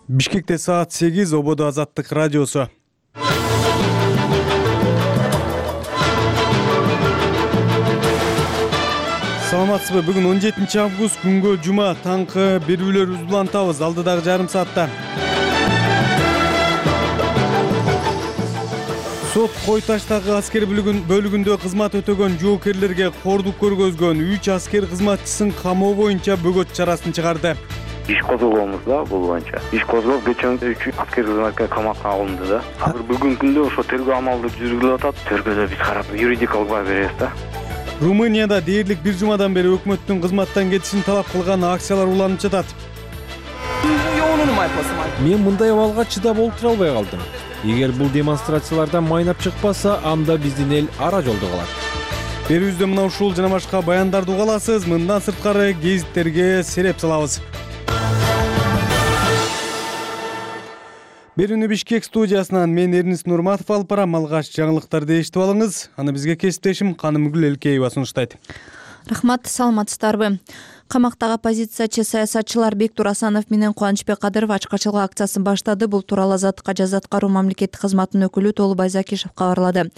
Бишкекте саат 8, Ободо Азаттык радиосу. Саламатсызбы? Бүгүн 17 август, күнгө жума, таңкы берүүлөр улантабыз алдыдагы жарым саатта. Сот Кой Таштагы аскер бөлүгүндө кызмат өтөгөн жоокерлерге кордук көргөзгөн 3 аскер кызматчысын камоо боюнча бөгөт чарасын чыгарды. Иш козголгонбуз да бул боюнча. Иш козголуп, кечээ 3 аскер кызматкер камакка алынды да. Азыр бүгүнкү күндө ошо тергөө амалдары жүргүзүлүп атат. Тергөөдө биз карап юридикалык баа беребиз да. Румынияда дээрлик бир жумадан бери өкмөттүн кызматтан кетишин талап кылган акциялар уланып жатат. Мен мындай абалга чыдап олтура албай калдым. Эгер бул демонстрациялардан майнап чыкпаса, анда биздин эл ара жолдо калат. Берүүбүздө мына ушул жана башка баяндарды уга аласыз. Мындан сырткары гезиттерге сереп салабыз. Берүүнү Бишкек студиясынан мен Эрнис Нурматов алып барам. Алгач жаңылыктарды эшитип алыңыз. Аны бизге кесиптешим Канымгүл Элкеева сунуштайт. Рахмат, саламатсыздарбы? Камактагы оппозициячы саясатчылар Бектур Асанов менен Кубанычбек Кадыров ачкачылык акциясын баштады. Бул тууралуу Азаттыкка жаза аткаруу мамлекеттик кызматынын өкүлү Толубай Закишев кабарлады.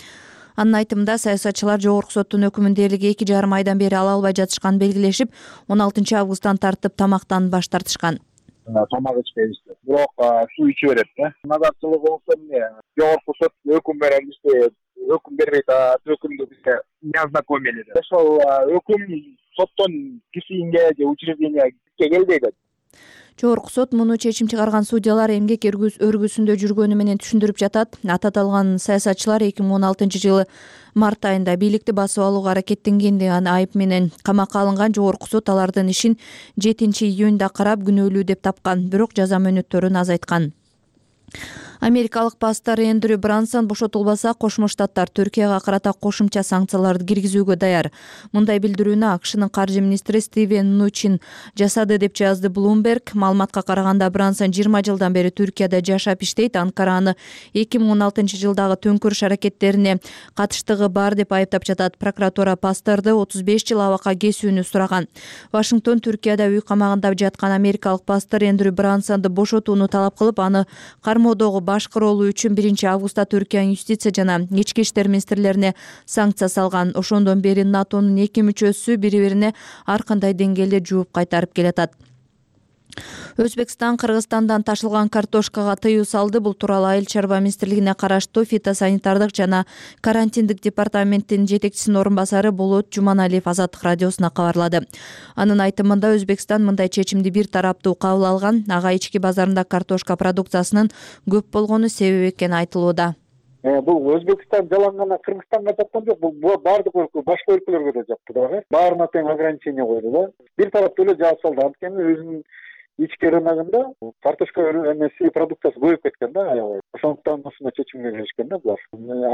Анын айтымында саясатчылар жогорку соттун өкүмүн дээрлик 2,5 айдан бери ала албай жатышканын белгилешип, 16 августтан тартып тамактан баш тартышкан. Тамак ичпейбиз. Бирок суу иче берет да. Назарчылык болсо жогорку сот өкүм берет, бизге өкүм бербейт, өкүмдү бизге не ознакомили. Ошол өкүм соттон кишинге же учрежденияга келбейт. Жогорку сот муну чечим чыгарган судьялар эмгек өргүсүндө жүргөнү менен түшүндүрүп жатат. Аталган саясатчылар 2016 жылы март айында бийликти басып алууга аракеттенген деген айып менен камакка алынган. Жогорку сот алардын ишин 7-июнда карап күнөөлүү деп тапкан, бирок жаза мөөнөттөрүн азайткан. Америкалык пастор Эндрю Брансон бошотулбаса, Кошмо Штаттар Түркияга карата кошумча санкцияларды киргизүүгө даяр. Мындай билдирүүнү АКШнын каржы министри Стивен Нучин жасады деп жазды Bloomberg. Маалыматка караганда, Брансон 20 жылдан бери Түркияда жашап иштейт. Анкара аны 2016 жылдагы төңкүрүш аракеттерине катыштыгы бар деп айыптап жатат. Прокуратура пасторду 35 жыл абакка кесүүнү сураган. Вашингтон Түркияда үй камагында жаткан америкалык пастор Эндрю Брансонду бошотууну талап кылып, аны кармоодогу башкароолуу үчүн 1 августта Түркиянын юстиция жана ички иштер министрлерине санкция салган. Ошондон бери НАТОнун 2 мүчөсү бири-бирине ар кандай деңгээлде жооп кайтарып келатат. Өзбекстан Кыргызстандан ташылган картошкага тыюу салды. Бул тууралуу Айыл чарба министрлигине караштуу фитосанитардык жана карантиндик департаменттин жетекчисинин орун басары Болот Жуманалиев Азаттык радиосуна кабарлады. Анын айтымында, Өзбекстан мындай чечимди бир тараптуу кабыл алган. Ага ички базарында картошка продукциясынын көп болгону себеп экени айтылууда. Бул Өзбекстан жалаң Кыргызстанга жаккан жок, бул баардык башка өлкөлөргө да жакты дагы. Баарына тең ограничение койду да. Бир тараптуу эле жаап салды. Анткени өзүнүн ички рыногунда картошка эмеси продукциясы көбөйүп кеткен да аябай. Ошондуктан ушуна чечимге келишкен да булар.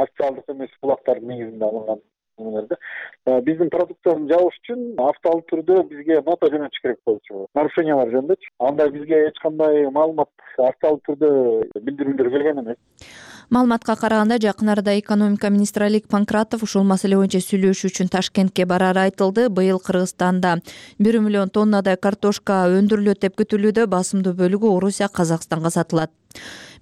Официалдык эмес булактардын негизинде алынган нерде. Биздин продукциябызды жабыш үчүн автоалуу түрдө бизге нота жөнөтүш керек болчу. Нарушениялар жөнүндө. Анда бизге эч кандай маалымат автоалуу түрдө билдирүүлөр келген эмес. Маалыматка караганда, жакын арада экономика министри Алик Панкратов ушул маселе боюнча сүйлөшүү үчүн Ташкентке барары айтылды. Быйыл Кыргызстанда 1 миллион тоннадай картошка өндүрүлөт деп күтүлүүдө. Басымдуу бөлүгү Орусия, Казакстанга сатылат.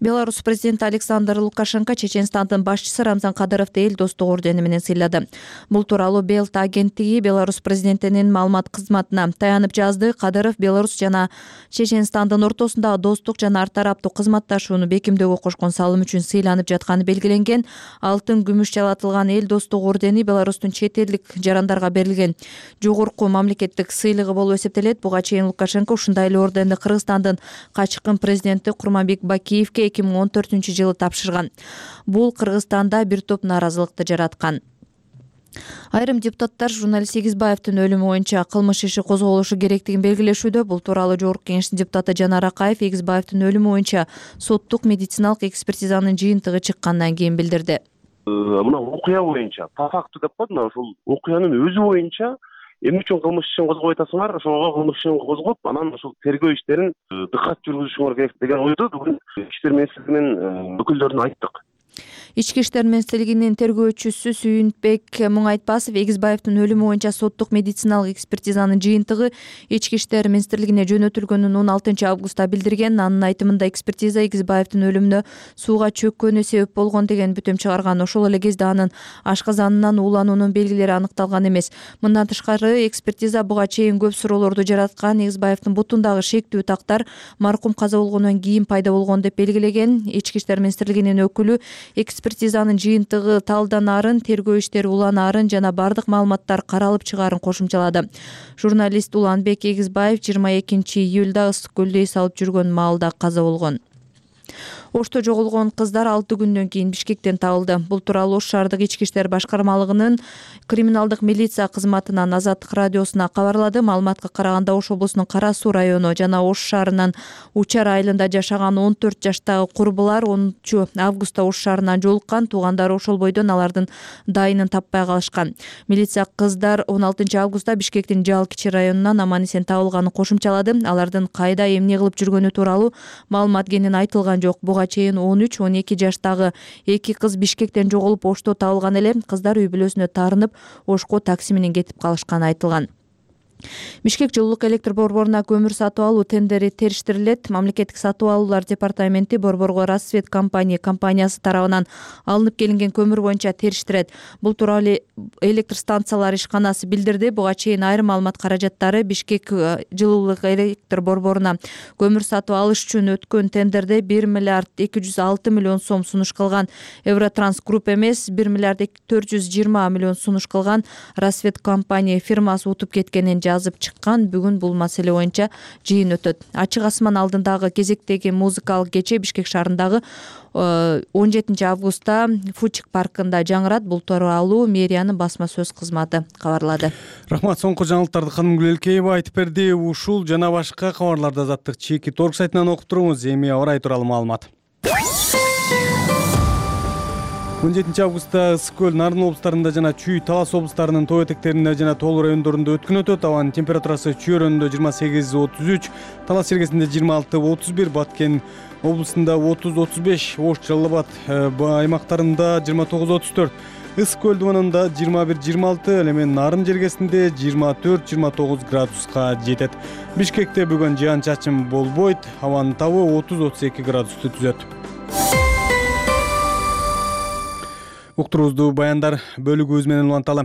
Беларусь президенти Александр Лукашенко Чеченстандын башчысы Рамзан Кадыровду эл достугу ордени менен сыйлады. Бул тууралуу Белта агенттиги Беларусь президентинин маалымат кызматына таянып жазды. Кадыров Беларусь жана Чеченстандын ортосундагы достук жана ар тараптуу кызматташууну бекемдөөгө кошкон салым үчүн сыйланып жатканы белгиленген. Алтын, күмүш жалатылган эл достугу ордени Беларустун чет элдик жарандарга берилген жогорку мамлекеттик сыйлыгы болуп эсептелет. Буга чейин Лукашенко ушундай эле орденди Кыргызстандын качкын президенти Курманбек Бакиевке 2014 жылы тапшырган. Бул Кыргызстанда бир топ нааразылыкты жараткан. Айрым депутаттар журналист Эгизбаевдин өлүмү боюнча кылмыш иши козголушу керектигин белгилешүүдө. Бул тууралуу Жогорку Кеңештин депутаты Жанар Акаев Эгизбаевдин өлүмү боюнча соттук медициналык экспертизанын жыйынтыгы чыккандан кийин билдирди. Мына окуя боюнча, по факту деп коет, мына ушул окуянын өзү боюнча эмне үчүн кылмыш ишин козгоп атасыңар, ошого кылмыш ишин козгоп, анан ушул тергөө иштерин дыкат жүргүзүшүңөр керек деген ойду бүгүн Ички иштер министрлигинин өкүлдөрүнө айттык. Ички иштер министрлигинин тергөөчүсү Сүйүнбек Муңайтпасов Эгизбаевдин өлүмү боюнча соттук медициналык экспертизанын жыйынтыгы Ички иштер министрлигине жөнөтүлгөнүн 16 августта билдирген. Анын айтымында экспертиза Эгизбаевдин өлүмүнө сууга чөккөнү себеп болгон деген бүтөм чыгарган. Ошол эле кезде анын ашказанынан уулануунун белгилери аныкталган эмес. Мындан тышкары экспертиза буга чейин көп суроолорду жараткан. Эгизбаевдин бутундагы шектүү тактар маркум каза болгондон кийин пайда болгон деп белгилеген. Ички иштер министрлигинин өкүлү экспертизанын жыйынтыгы талданаарын, тергөө иштери уланаарын жана бардык маалыматтар каралып чыгаарын кошумчалады. Журналист Уланбек Эгизбаев 22 июлда Ысык көлдө эс алып жүргөн маалда каза болгон. Ошто жоголгон кыздар 6 күндөн кийин Бишкектен табылды. Бул тууралуу Ош шаардык ички иштер башкармалыгынын криминалдык милиция кызматынан Азаттык радиосуна кабарлады. Маалыматка караганда Ош облусунун Кара Суу району жана Ош шаарынын Учар айылында жашаган 14 жаштагы курбулар 10 августта Ош шаарынан жолуккан. Туугандары ошол бойдон алардын дайынын таппай калышкан. Милиция кыздар 16 августта Бишкектин Жал кичи районунан аман эсен табылганын кошумчалады. Алардын кайда эмне кылып жүргөнү тууралуу маалымат кенен айтылган жок. Буга чейин 13-12 жаштагы 2 кыз Бишкектен жоголуп Ошто табылган эле. Кыздар үй бүлөсүнө таарынып Ошко такси менен кетип калышканы айтылган. Бишкек жылуулук электр борборуна көмүр сатып алуу тендери териштирилет. Мамлекеттик сатып алуулар департаменти Борборго Рассвет компаниясы тарабынан алынып келинген көмүр боюнча териштирет. Бул тууралуу электр станциялар ишканасы билдирди. Буга чейин айрым маалымат каражаттары Бишкек жылуулук электр борборуна көмүр сатып алыш үчүн өткөн тендерде 1 миллиард 206 миллион сом сунуш кылган Евротранс Групп эмес, 1 миллиард 420 миллион сунуш кылган Рассвет компания фирмасы утуп кеткенин жазып чыккан. Бүгүн бул маселе боюнча жыйын өтөт. Ачык асман алдындагы кезектеги музыкалык кече Бишкек шаарындагы 17 августта Фучик паркында жаңырат. Бул тууралуу мэриянын басма сөз кызматы кабарлады. Рахмат, соңку жаңылыктарды Канымгүл Элкеева айтып берди. Ушул жана башка кабарларды Азаттык чеки торг сайтынан окуп туруңуз. Эми аба ырайы тууралуу маалымат. 17 августта Ысык көл, Нарын облустарында жана Чүй, Талас облустарынын тоо этектеринде жана тоолуу райондорунда өткүн өтөт. Абанын температурасы Чүй районунда 28-33, Талас жергесинде 26-31, Баткен облусунда 30-35, Ош, Жалал Абад аймактарында 29-34, Ысык көл дубанында 21-26, ал эми Нарын жергесинде 24-29 градуска жетет. Бишкекте бүгүн жаан-чачын болбойт, абанын табы 30-32 градусту түзөт. Уктуруубузду баяндар бөлүгүбүз менен уланталы.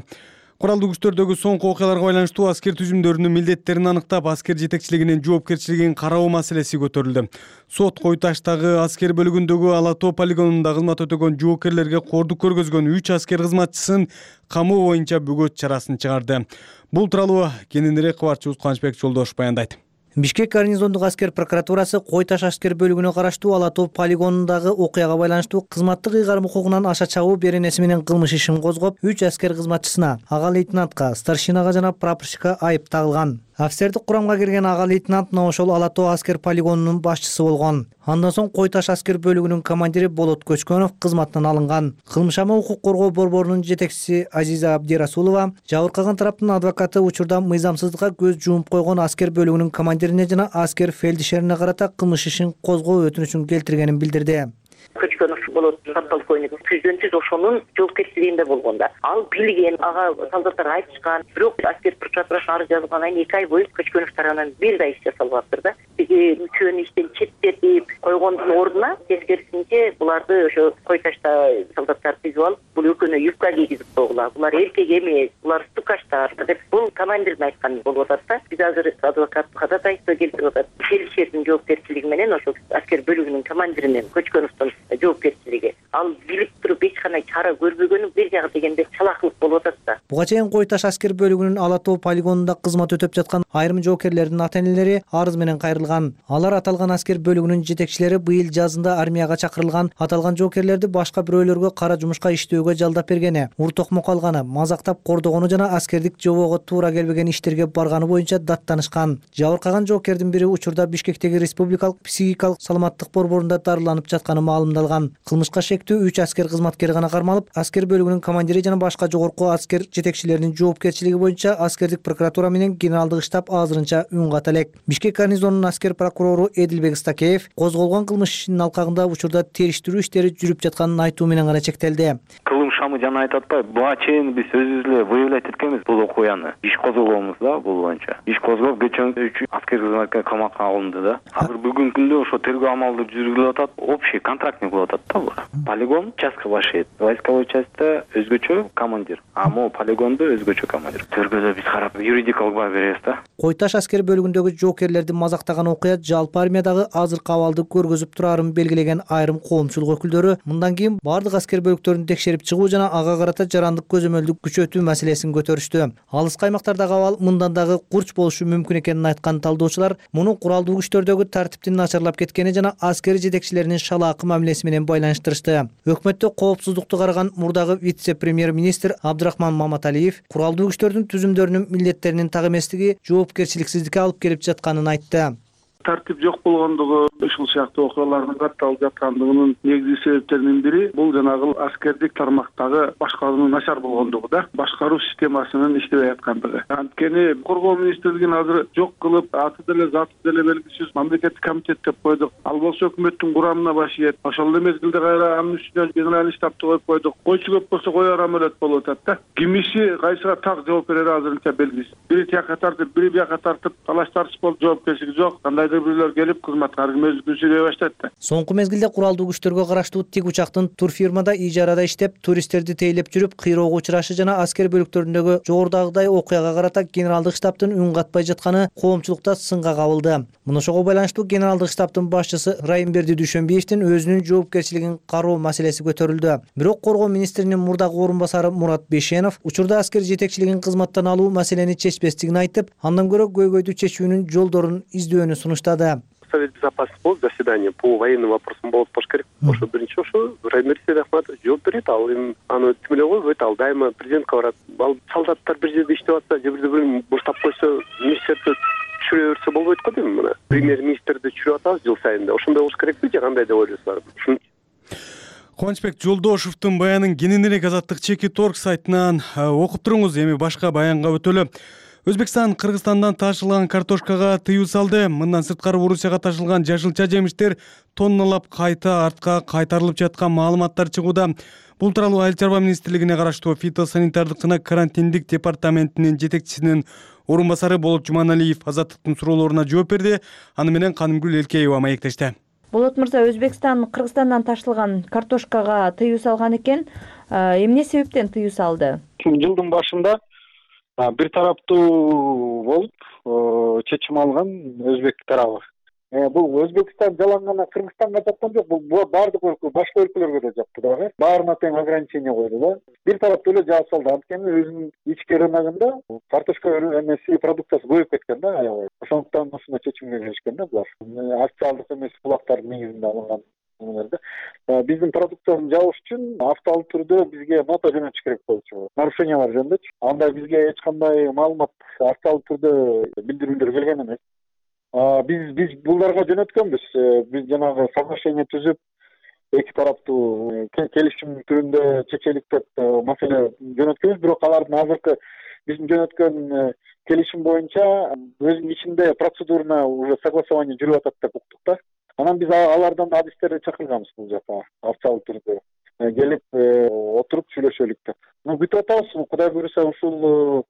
Куралдуу күчтөрдөгү соңку окуяларга байланыштуу аскер түзүмдөрүнүн милдеттерин аныктап, аскер жетекчилигинин жоопкерчилигин кароо маселеси көтөрүлдү. Сот Кой Таштагы аскер бөлүгүндөгү Ала Тоо полигонунда кызмат өтөгөн жоокерлерге кордук көргөзгөн 3 аскер кызматчысын камоо боюнча бөгөт чарасын чыгарды. Бул тууралуу кененирээк кабарчыбыз Кубанычбек Жолдош баяндайт. Бишкек гарнизондук аскер прокуратурасы Кой Таш аскер бөлүгүнө караштуу Ала Тоо полигонундагы окуяга байланыштуу кызматтык ыйгарым укугунан аша чабуу беренеси менен кылмыш ишин козгоп, 3 аскер кызматчысына, ага лейтенантка, старшинага жана прапорщикка айып тагылган. Офицердик курамга кирген ага лейтенант мына ошол Ала Тоо аскер полигонунун башчысы болгон. Андан соң Кой Таш аскер бөлүгүнүн командири Болот Көчкөнов кызматтан алынган. Кылмышама укук коргоо борборунун жетекчиси Азиза Абдирасулова жабыркаган тараптын адвокаты учурда мыйзамсыздыкка көз жумуп койгон аскер бөлүгүнүн командирине жана аскер фельдшерине карата кылмыш ишин козгоо өтүнүчүн келтиргенин билдирди. Көчкөнов болот подполковник түздөн-түз ошонун жоопкерчилигинде болгонда ал билген, ага солдаттар айтышкан, бирок аскер прокуратурасына арыз жазылгандан кийин 2 ай бою Көчкөнов тарабынан бир да иш жасалбаптыр да. Үчөөнү иштен четтетип койгондун ордуна тескерисинче буларды ошо Кой Ташта солдаттар түзүп алып, бул экөөнө юбка кийгизип койгула. Булар эркек эмес, булар стукаштар деп бул командирдин айтканы болуп атат да. Биз азыр адвокат ходатайство келтирип атат. Фельдшердин жоопкерчилиги менен ошо аскер бөлүгүнүн командиринин Көчкөновдун жоопкерчилиги. Ал билип туруп эч кандай чара көрбөгөнү бир жагы дегенде чалакылык болуп атат да. Буга чейин Кой Таш аскер бөлүгүнүн Ала Тоо полигонунда кызмат өтөп жаткан айрым жоокерлердин ата-энелери арыз менен кайрылган. Алар аталган аскер бөлүгүнүн жетекчилери быйыл жазында армияга чакырылган аталган жоокерлерди башка бирөөлөргө кара жумушка иштөөгө жалдап бергени, уртокмок алганы, мазактап кордогону жана аскердик жобого туура келбеген иштерге барганы боюнча даттанышкан. Жабыркаган жоокердин бири учурда Бишкектеги республикалык психикалык саламаттык борборунда дарыланып жатканы маалымдалган. Кылмышка шектүү 3 аскер кызматкер гана кармалып, аскер бөлүгүнүн командири жана башка жогорку жогорку аскер жетекчилеринин жоопкерчилиги боюнча аскердик прокуратура менен генералдык штаб азырынча үн ката элек. Бишкек гарнизонунун аскер прокурору Эдилбек Стакеев козголгон кылмыш ишинин алкагында учурда териштирүү иштери жүрүп жатканын айтуу менен гана чектелди. Кылым шамы жана айтып атпайбы, буга чейин биз өзүбүз эле выявлять эткенбиз бул окуяны. Иш козголгонбуз да бул боюнча. Иш козголуп кечээ 3 аскер кызматкер камакка алынды да. Азыр бүгүнкү күндө ошо тергөө амалы жүргүзүлүп атат. Общий контрактник болуп атат да бул. Полигон участка башыйт. Войсковой частьта өзгөчө командир, а могу полигондо өзгөчө командир. Тергөөдө биз карап юридикалык баа беребиз да. Кой Таш аскер бөлүгүндөгү жоокерлерди мазактаган окуя жалпы армиядагы азыркы абалды көргөзүп турарын белгилеген айрым коомчулук өкүлдөрү мындан кийин бардык аскер бөлүктөрүн текшерип чыгуу жана ага карата жарандык көзөмөлдү күчөтүү маселесин көтөрүштү. Алыс каймактардагы абал мындан дагы курч болушу мүмкүн экенин айткан талдоочулар муну куралдуу күчтөрдөгү тартиптин начарлап кеткени жана аскер жетекчилеринин шалаакы мамилеси менен байланыштырышты. Өкмөттө коопсуздукту караган мурдагы вице-премьер-министр Абдрахман Маматалиев куралдуу күчтөрдүн түзүмдөрүнүн милдеттеринин так эместиги жоопкерчиликсиздикке алып келип жатканын айтты. Тартип жок болгондугу ушул сыяктуу окуялардын катталып жаткандыгынын негизги себептеринин бири бул жанагы аскердик тармактагы башкаруунун начар болгондугу да, башкаруу системасынын иштебей аткандыгы. Анткени коргоо министрлигин азыр жок кылып, аты деле заты деле белгисиз мамлекеттик комитет деп койдук. Ал болсо өкмөттүн курамына баш ийет. Ошол эле мезгилде кайра анын үстүнө генеральный штабты коюп койдук. Койчу көп болсо коер амелет болуп атат да. Ким иши кайсыга так жооп берери азырынча белгисиз. Бири тияка тартып, бири бияка тартып, талаш тартыш болуп жоопкерчилиги жок. Кандайдыр бирлер келип кызматка аргымөздүкүн сүйлөй баштайт да. Соңку мезгилде куралдуу күчтөргө караштуу тик учактын турфирмада ижарада иштеп, туристтерди тейлеп жүрүп кыйроого учурашы жана аскер бөлүктөрүндөгү жогорудагыдай окуяга карата генералдык штабтын үн катпай жатканы коомчулукта сынга кабылды. Муну ошого байланыштуу генералдык штабтын башчысы Райымберди Дүйшөнбиевдин өзүнүн жоопкерчилигин кароо маселеси көтөрүлдү. Бирок коргоо министринин мурдагы орун басары Мурат Бейшенов учурда аскер жетекчилигин кызматтан алуу маселени чечпестигин айтып, андан көрө көйгөйдү чечүүнүн жолдорун издөөнү сунуштады. Совет безопасности болуп заседание по военным вопросам болуп баш керек. Ошо биринчи ошо Райымберди Ахматович жооп берет, ал эми аны тим эле койбойт, ал дайыма президентке барат. Ал солдаттар бир жерде иштеп атса, же бирде бир буштап койсо, министрди түшүрө берсе болбойт го дейм мына. Премьер-министрди түшүрүп атабыз жыл сайын. Ошондой болуш керекпи же кандай деп ойлойсуздар? Кубанычбек Жолдошевдун баянын кененирээк Азаттык чеки торг сайтынан окуп туруңуз. Эми башка баянга өтөлү. Өзбекстан Кыргызстандан ташылган картошкага тыюу салды. Мындан сырткары Орусияга ташылган жашылча жемиштер тонналап кайта артка кайтарылып жаткан маалыматтар чыгууда. Бул тууралуу Айыл чарба министрлигине караштуу фитосанитардык жана карантиндик департаментинин жетекчисинин орун басары Болот Жуманалиев Азаттыктын суроолоруна жооп берди. Аны менен Канымгүл Элкеева маектешти. Болот мырза, Өзбекстан Кыргызстандан ташылган картошкага тыюу салган экен. Эмне себептен тыюу салды? Жылдын башында бир тараптуу болуп чечим алган өзбек тарабы. Бул Өзбекстан жалаң Кыргызстанга жапкан жок, бул бардык өлкө, башка өлкөлөргө да жапты дагы. Баарына тең ограничение койду да. Бир тараптуу эле жаап салды. Анткени өзүнүн ички рыногунда картошка эмеси продукциясы көбөйүп кеткен да аябай. Ошондуктан ушуна чечимге келишкен да булар. Официалдык эмес булактардын негизинде алынган. Биздин продукцияны жабыш үчүн автоалдык түрдө бизге нота жөнөтүш керек болчу. Нарушениялар жөнүндө. Анда бизге эч кандай маалымат автоалдык түрдө билдирүүлөр келген эмес. Биз буларга жөнөткөнбүз. Биз жанагы соглашение түзүп, эки тараптуу келишим түрүндө чечелик деп маселе жөнөткөнбүз. Бирок алардын азыркы биздин жөнөткөн келишим боюнча өзүнүн ичинде процедурна уже согласование жүрүп атат деп уктук да. Анан биз алардан адистерди чакырганбыз бул жака официалдык түрдө келип отуруп сүйлөшөлүк деп. Күтүп атабыз. Кудай буйруса ушул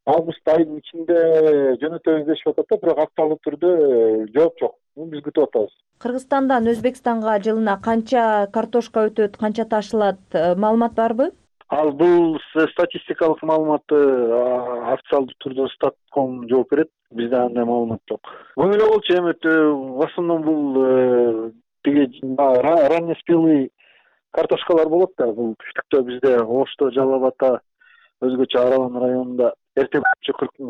август айынын ичинде жөнөтөбүз дешип атат да, бирок официалдык түрдө жооп жок. Биз күтүп атабыз. Кыргызстандан Өзбекстанга жылына канча картошка өтөт, канча ташылат, маалымат барбы? Ал бул статистикалык маалыматты официалдык түрдө Статком жооп берет. Бизде андай маалымат жок. Бул эле болчу, эми в основном бул тиги раннеспелый картошкалар болот да. Бул түштүктө бизде Ошто, Жалал Ата, өзгөчө Аралан районунда эрте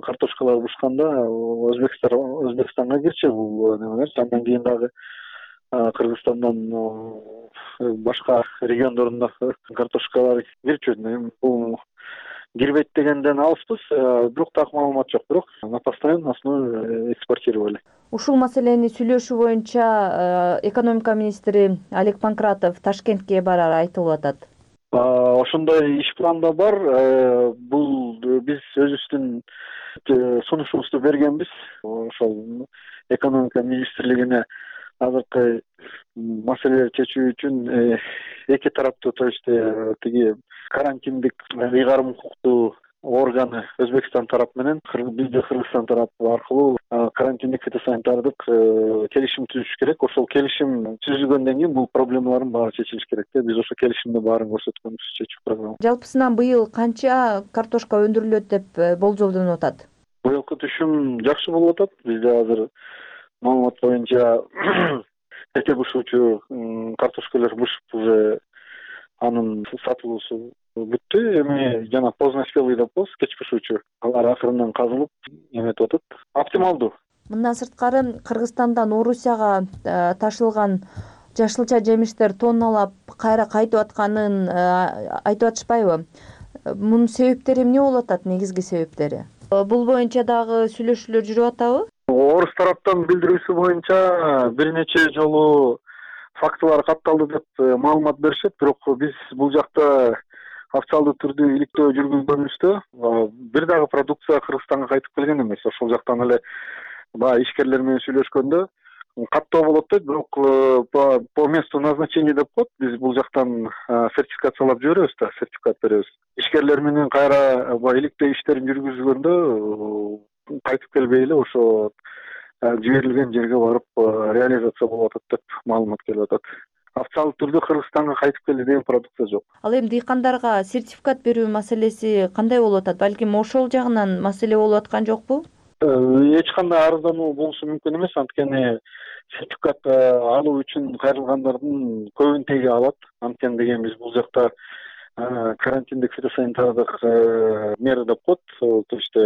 картошкалар бушканда Өзбекстанга кирчү бул немелер. Андан кийин дагы Кыргызстандан башка региондорунда картошкалар кирчү. Бул кирбейт дегенден алыспыз, бирок так маалымат жок. Бирок на постоянной основе экспортировали. Ушул маселени сүйлөшүү боюнча экономика министри Олег Панкратов Ташкентке барары айтылып атат. Ошондой иш планда бар. Бул биз өзүбүздүн сунушубузду бергенбиз. Ошол экономика министрлигине азыркы маселелерди чечүү үчүн эки тараптуу, то есть тиги карантиндик ыйгарым укуктуу органы Өзбекстан тарап менен бизде Кыргызстан тарапы аркылуу карантиндик фитосанитардык келишим түзүш керек. Ошол келишим түзүлгөндөн кийин бул проблемалардын баары чечилиш керек да. Биз ошол келишимде баарын көрсөткөнбүз чечүү программа. Жалпысынан быйыл канча картошка өндүрүлөт деп болжолдонуп атат? Быйылкы түшүм жакшы болуп атат. Бизде азыр маалымат боюнча эте бышуучу картошкалар бышып уже анын сатылуусу бүттү. Эми жана поздноспелый деп коебуз, кеч бышуучу. Алар акырындан казылып эметип атат. Оптималдуу. Мындан сырткары Кыргызстандан Орусияга ташылган жашылча жемиштер тонналап кайра кайтып атканын айтып атышпайбы? Мунун себептери эмне болуп атат, негизги себептери? Бул боюнча дагы сүйлөшүүлөр жүрүп атабы? Орус тараптан билдирүүсү боюнча бир нече жолу фактылар катталды деп маалымат беришет, бирок биз бул жакта официалдуу түрдө иликтөө жүргүзгөнүбүздө бир дагы продукция Кыргызстанга кайтып келген эмес. Ошол жактан эле баягы ишкерлер менен сүйлөшкөндө каттоо болот дейт, бирок по месту назначения деп коет. Биз бул жактан сертификациялап жиберебиз да, сертификат беребиз. Ишкерлер менен кайра иликтөө иштерин жүргүзгөндө кайтып келбей эле ошо жиберилген жерге барып реализация болуп атат деп маалымат келип атат. Официалдуу түрдө Кыргызстанга кайтып келди деген продукция жок. Ал эми дыйкандарга сертификат берүү маселеси кандай болуп атат? Балким ошол жагынан маселе болуп аткан жокпу? Эч кандай арыздануу болушу мүмкүн эмес, анткени сертификат алуу үчүн кайрылгандардын көбүн теге алат. Анткени деген биз бул жакта карантиндик фитосанитардык мера деп коет, то есть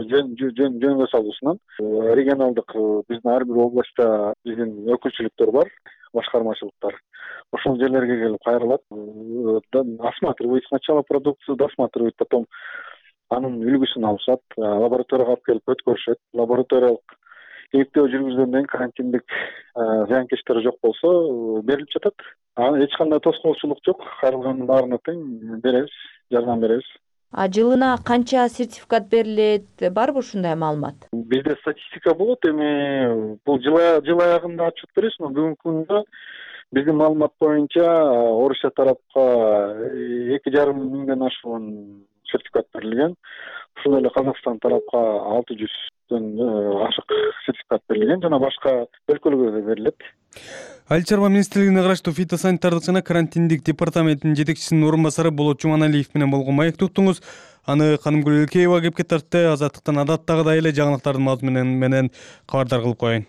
жөнгө салуусунан регионалдык биздин ар бир областта биздин өкүлчүлүктөр бар, башкармачылыктар. Ошол жерлерге келип кайрылат, осматривает сначала продукцию, досматривает, потом анын үлгүсүн алышат, лабораторияга алып келип өткөрүшөт. Лабораториялык иликтөө жүргүзгөндөн кийин карантиндик зыянкечтер жок болсо берилип жатат. Эч кандай тоскоолчулук жок. Кайрылгандын баарына тең беребиз, жардам беребиз. Жылына канча сертификат берилет? Барбы ушундай маалымат? Бизде статистика болот, эми бул жыл аягында отчет беребиз, но бүгүнкү күндө биздин маалымат боюнча Орусия тарапка 2,5 миңден ашуун сертификат берилген. Ошол эле Казакстан тарапка 600дөн ашык сертификат берилген, жана башка өлкөлөргө да берилет. Айыл чарба министрлигине караштуу фитосанитардык жана карантиндик департаментинин жетекчисинин орун басары Болот Жуманалиев менен болгон маектик уктуңуз. Аны Канымгүл Элкеева кепке тартты. Азаттыктан адаттагыдай эле жаңылыктардын мазмуну менен кабардар кылып коеюн.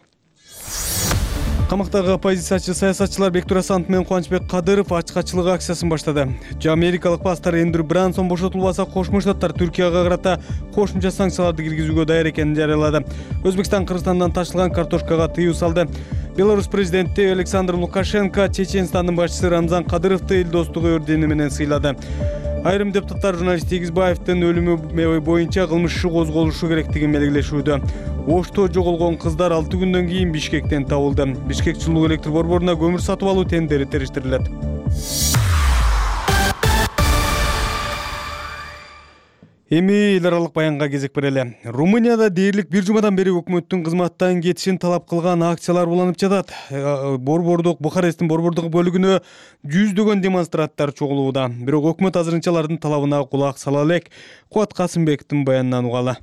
Камактагы оппозициячы саясатчылар Бектур Асанов менен Кубанычбек Кадыров ачкачылык акциясын баштады. Америкалык пастор Эндрю Брансон бошотулбаса, Кошмо Штаттар Түркияга карата кошумча санкцияларды киргизүүгө даяр экенин жарыялады. Өзбекстан Кыргызстандан ташылган картошкага тыюу салды. Беларусь президенти Александр Лукашенко Чеченстандын башчысы Рамзан Кадыровду эл достугу ордени менен сыйлады. Айрым депутаттар журналист Тегизбаевдин өлүмү боюнча кылмыш иши козголушу керектигин белгилешүүдө. Ошто жоголгон кыздар 6 күндөн кийин Бишкектен табылды. Бишкек жылуу электр борборуна көмүр сатып алуу тендери териштирилет. Эми эл аралык баянга кезек берели. Румынияда дээрлик бир жумадан бери өкмөттүн кызматтан кетишин талап кылган акциялар уланып жатат. Бухаресттин борбордук бөлүгүнө жүздөгөн демонстранттар чогулууда. Бирок өкмөт азырынча алардын талабына кулак сала элек. Кубат Касымбектин баянынан угалы.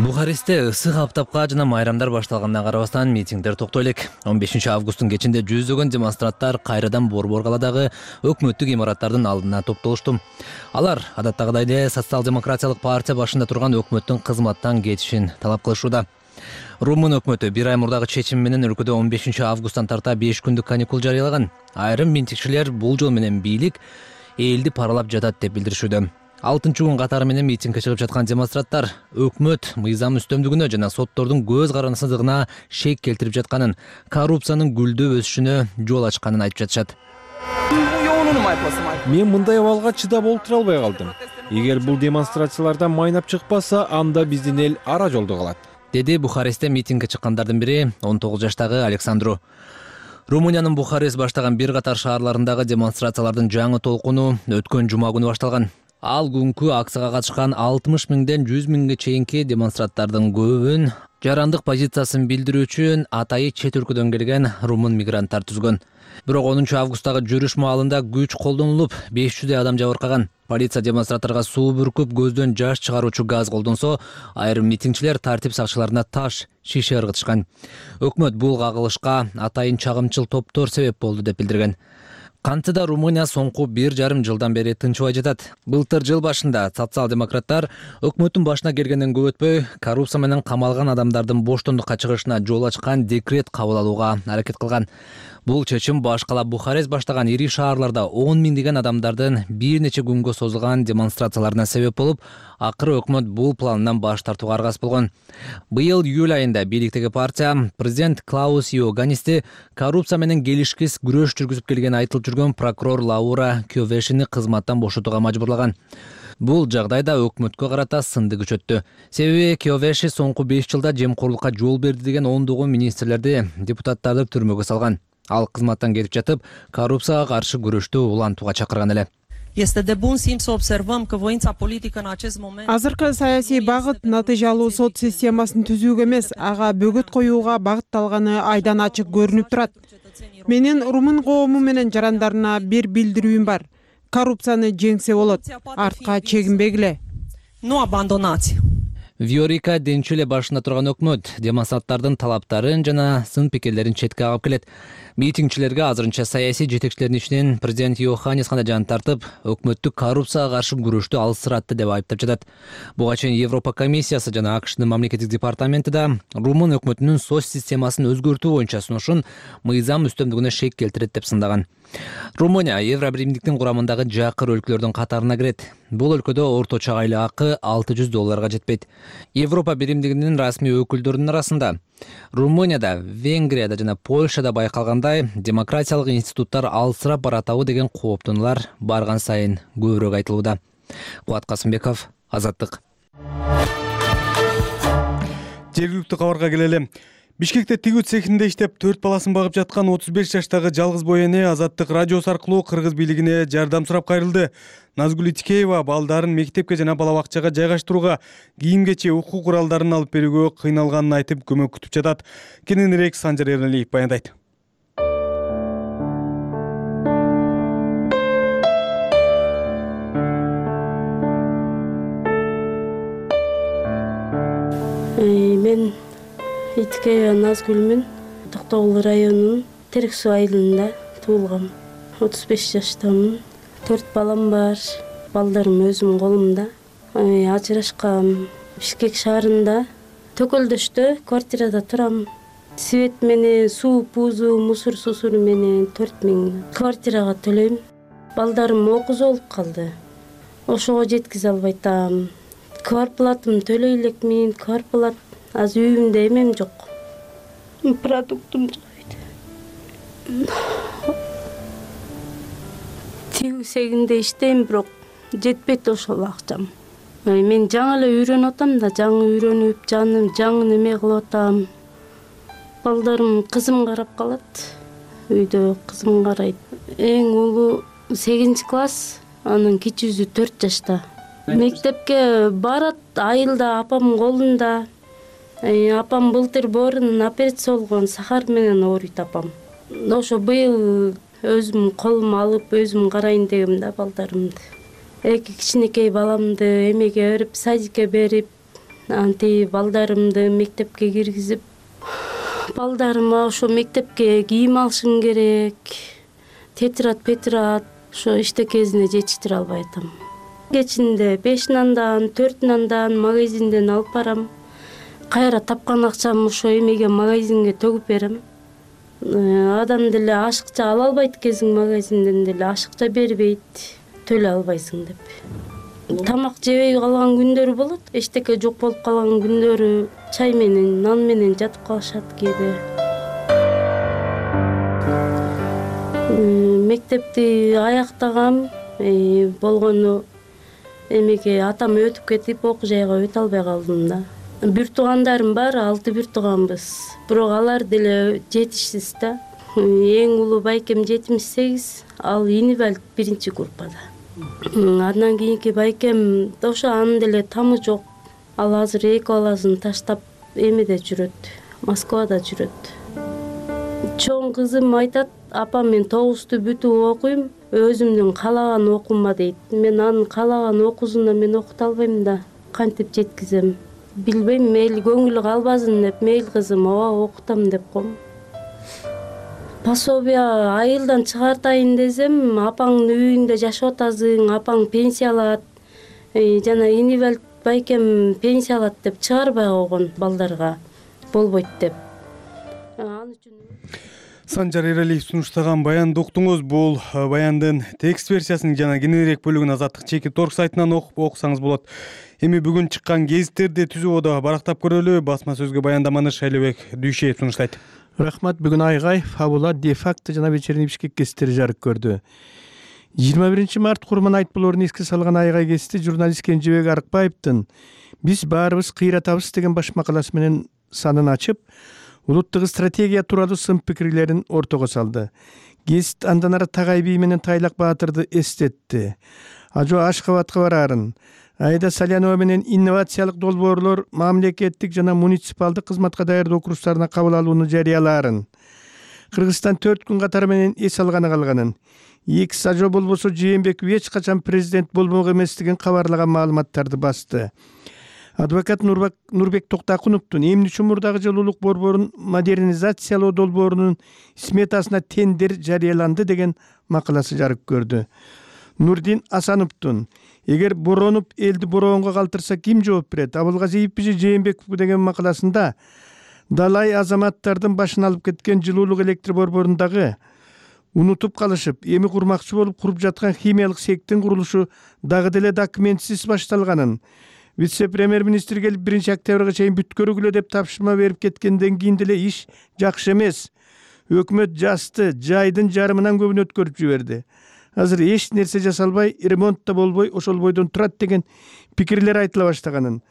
Бухарестте ысык аптапка жана майрамдар башталганына карабастан митингдер токтой элек. 15 августтун кечинде жүздөгөн демонстранттар кайрадан Борбор каладагы өкмөттүк имараттардын алдына топтолушту. Алар адаттагыдай эле социал-демократиялык партия башында турган өкмөттүн кызматтан кетишин талап кылышууда. Румын өкмөтү бир ай мурдагы чечим менен өлкөдө 15 августтан тарта 5 күндүк каникул жарыялаган. Айрым митингчилер бул жол менен бийлик элди паралап жатат деп билдиришүүдө. 6-күн катары менен митингге чыгып жаткан демонстранттар өкмөт мыйзам үстөмдүгүнө жана соттордун көз карансыздыгына шек келтирип жатканын, коррупциянын гүлдөп өсүшүнө жол ачканын айтып жатышат. Мен мындай абалга чыдап олтура албай калдым. Эгер бул демонстрациялардан майнап чыкпаса, анда биздин эл ара жолдо калат. деди Бухарестте митингге чыккандардын бири 19 жаштагы Александру. Румыниянын Бухарест баштаган бир катар шаарларындагы демонстрациялардын жаңы толкуну өткөн жума күнү башталган. Ал күнкү акцияга катышкан 60 миңден 100 миңге чейинки демонстранттардын көбүн жарандык позициясын билдирүү үчүн атайы чет өлкөдөн келген румын мигранттар түзгөн. Бирок 10 августтагы жүрүш маалында күч колдонулуп, 500 адам жабыркаган. Полиция демонстранттарга суу бүркүп, көздөн жаш чыгаруучу газ колдонсо, айрым митингчилер тартип сакчыларына таш, шише ыргытышкан. Өкмөт бул кагылышка атайын чагымчыл топтор себеп болду деп билдирген. Кантида Румыния соңку 1,5 жылдан бери тынчыбай жатат. Былтыр жыл башында социал-демократтар өкмөттүн башына келгенден көп өтпөй коррупция менен камалган адамдардын боштондукка чыгышына жол ачкан декрет кабыл алууга аракет кылган. Бул чечим баш кала Бухарест баштаган ири шаарларда 10 миңдеген адамдардын бир нече күнгө созулган демонстрацияларына себеп болуп, акыры өкмөт бул планынан баш тартууга аргасыз болгон. Быйыл июль айында бийликтеги партия президент Клаус Йоганнисти коррупция менен келишкис күрөш жүргүзүп келгени айтылып жүргөн прокурор Лаура Кьовешини кызматтан бошотууга мажбурлаган. Бул жагдайда өкмөткө карата сынды күчөттү. Себеби Кьовеши соңку 5 жылда жемкорлукка жол берди деген ондогон министрлерди, депутаттарды түрмөгө салган. Ал кызматтан кетип жатып, коррупцияга каршы күрөштү улантууга чакырган эле. Азыркы саясий багыт натыйжалуу сот системасын түзүүгө эмес, ага бөгөт коюуга багытталганы айдан ачык көрүнүп турат. Менин румын коому менен жарандарына бир билдирүүм бар. Коррупцияны жеңсе болот, артка чегинбегиле. Виорика Денчиле башында турган өкмөт демонстранттардын талаптарын жана сын пикирлерин четке кагып келет. Митингчилерге азырынча саясий жетекчилердин ичинен президент Йоханнис гана жан тартып, өкмөттү коррупцияга каршы күрөштү алсыратты деп айыптап жатат. Буга чейин Европа комиссиясы жана АКШнын мамлекеттик департаменти да румын өкмөтүнүн соц системасын өзгөртүү боюнча сунушун мыйзам үстөмдүгүнө шек келтирет деп сындаган. Румыния Евробиримдиктин курамындагы жакыр өлкөлөрдүн катарына кирет. Бул өлкөдө орточо айлык акы $600 жетпейт. Европа биримдигинин расмий өкүлдөрүнүн арасында Румынияда, Венгрияда жана Польшада байкалгандай демократиялык институттар алсырап баратабы деген кооптонуулар барган сайын көбүрөөк айтылууда. Кубат Касымбеков, Азаттык. Жергиликтүү кабарга келели. Бишкекте тигүү цехинде иштеп 4 баласын багып жаткан 35 жаштагы жалгыз бой эне Азаттык радиосу аркылуу кыргыз бийлигине жардам сурап кайрылды. Назгүл Итикеева балдарын мектепке жана бала бакчага жайгаштырууга, кийим-кече, окуу куралдарын алып берүүгө кыйналганын айтып көмөк күтүп жатат. Кененирээк Санжар Эралиев баяндайт. Мен Итикеева Назгүлмүн. Токтогул районунун Терек суу айылында туулгам. 35 жаштамын. 4 балам бар. Балдарым өзүмдүн колумда. Ажырашкам. Бишкек шаарында Төкөлдөштө квартирада турам. Свет менен, суу, пузу, мусор сусуру менен 4000 квартирага төлөйм. Балдарым окуусу болуп калды. Ошого жеткизе албай атам. Квартплатымды төлөй элекмин, квартплат азыр үйүмдө эмем жок. Продуктум жок. Тигүү сегинде иштейм, бирок жетпейт ошол акчам. Мен жаңы эле үйрөнүп атам да, жаңы үйрөнүп, жаңы неме кылып атам. Балдарым кызым карап калат. Үйдө кызым карайт. Эң улуу 8-класс, анын кичүүсү 4 жашта. Мектепке барат, айылда апамдын колунда. Апам былтыр боорунун операция болгон, сахар менен ооруйт апам. Ошо быйыл өзүм колума алып, өзүм карайын дегем да балдарымды. 2 кичинекей баламды эмеге берип, садикке берип, анти балдарымды мектепке киргизип, балдарыма ошо мектепке кийим алышым керек. Тетрат, ошо иштекесине жетиштире албай атам. Кечинде 5 нандан, 4 нандан магазинден алып барам. Кайра тапкан акчам ошо эмеге магазинге төгүп берем. Адам деле ашыкча ала албайт экенсиң, магазинден деле ашыкча бербейт, төлөй албайсың деп. Тамак жебей калган күндөрү болот, эчтеке жок болуп калган күндөрү чай менен, нан менен жатып калышат кээде. Мектепти аяктагам, болгону эмеге атам өтүп кетип, окуу жайга өтө албай калдым да. бир туугандарым бар, 6 бир тууганбыз. Бирок алар деле жетишсиз да. Эң улуу байкем 78, ал инвалид 1-группада. Андан кийинки байкем ошо анын деле тамы жок. Ал азыр 2 баласын таштап эмеде жүрөт, Москвада жүрөт. Чоң кызым айтат, апам мен 9-ту бүтүп окуйм, өзүмдүн каалаган окуума дейт. Мен анын каалаган окуусуна мен окута албайм да, кантип жеткизем? Билбейм, мейли көңүлү калбасын деп, мейли кызым, ооба окутам деп коем. Пособие айылдан чыгартайын десем, апаңдын үйүндө жашап атасың, апаң пенсия алат, жана инвалид байкем пенсия алат деп чыгарбай койгон балдарга болбойт деп. Санжар Эралиев сунуштаган баянды уктуңуз. Бул баяндын текст версиясынын жана кененирээк бөлүгүн Азаттык чеки торг сайтынан окусаңыз болот. Эми бүгүн чыккан гезиттерди түзүүдө барактап көрөлү. Басма сөзгө баяндаманы Шайлебек Дүйшеев сунуштайт. Рахмат. Бүгүн Айгай, Фабула, Де-факто жана Вечерний Бишкек гезиттери жарык көрдү. 21 март Курман Айтболорун эске салган Айгай гезити журналист Кенжебек Арыкбаевдин «Биз баарыбыз кыйратабыз» деген баш макаласы менен санын ачып, улуттук стратегия тууралуу сын пикирлерин ортого салды. Гезит андан ары Тагай бий менен Тайлак Баатырды эстетти. Ажо Ашкабадка бараарын, Айда Салянова менен инновациялык долбоорлор мамлекеттик жана муниципалдык кызматка даярдоо курстарына кабыл алууну жарыялаарын, Кыргызстан 4 күн катары менен эс алганы калганын, X Ажо болбосо Жээнбеков эч качан президент болмок эместигин кабарлаган маалыматтарды басты. Адвокат Нурбек Токтакуновдун эмне үчүн мурдагы жылуулук борборун модернизациялоо долбоорунун сметасына тендер жарыяланды деген макаласы жарык көрдү. Нурдин Асановдун «Эгер боронуп элди бороонго калтырса ким жооп берет? Абылгазиевпи же Жээнбековпу?» деген макаласында далай азаматтардын башын алып кеткен жылуулук электр борборундагы унутуп калышып, эми курмакчы болуп куруп жаткан химиялык сектин курулушу дагы деле документсиз башталганын, вице-премьер-министр келип 1-октябрга чейин бүткөргүлө деп тапшырма берип кеткенден кийин деле иш жакшы эмес. Өкмөт жасты жайдын жарымынан көбүн өткөрүп жиберди. Азыр эч нерсе жасалбай, ремонт да болбой, ошол бойдон турат деген пикирлер айтыла баштаганын.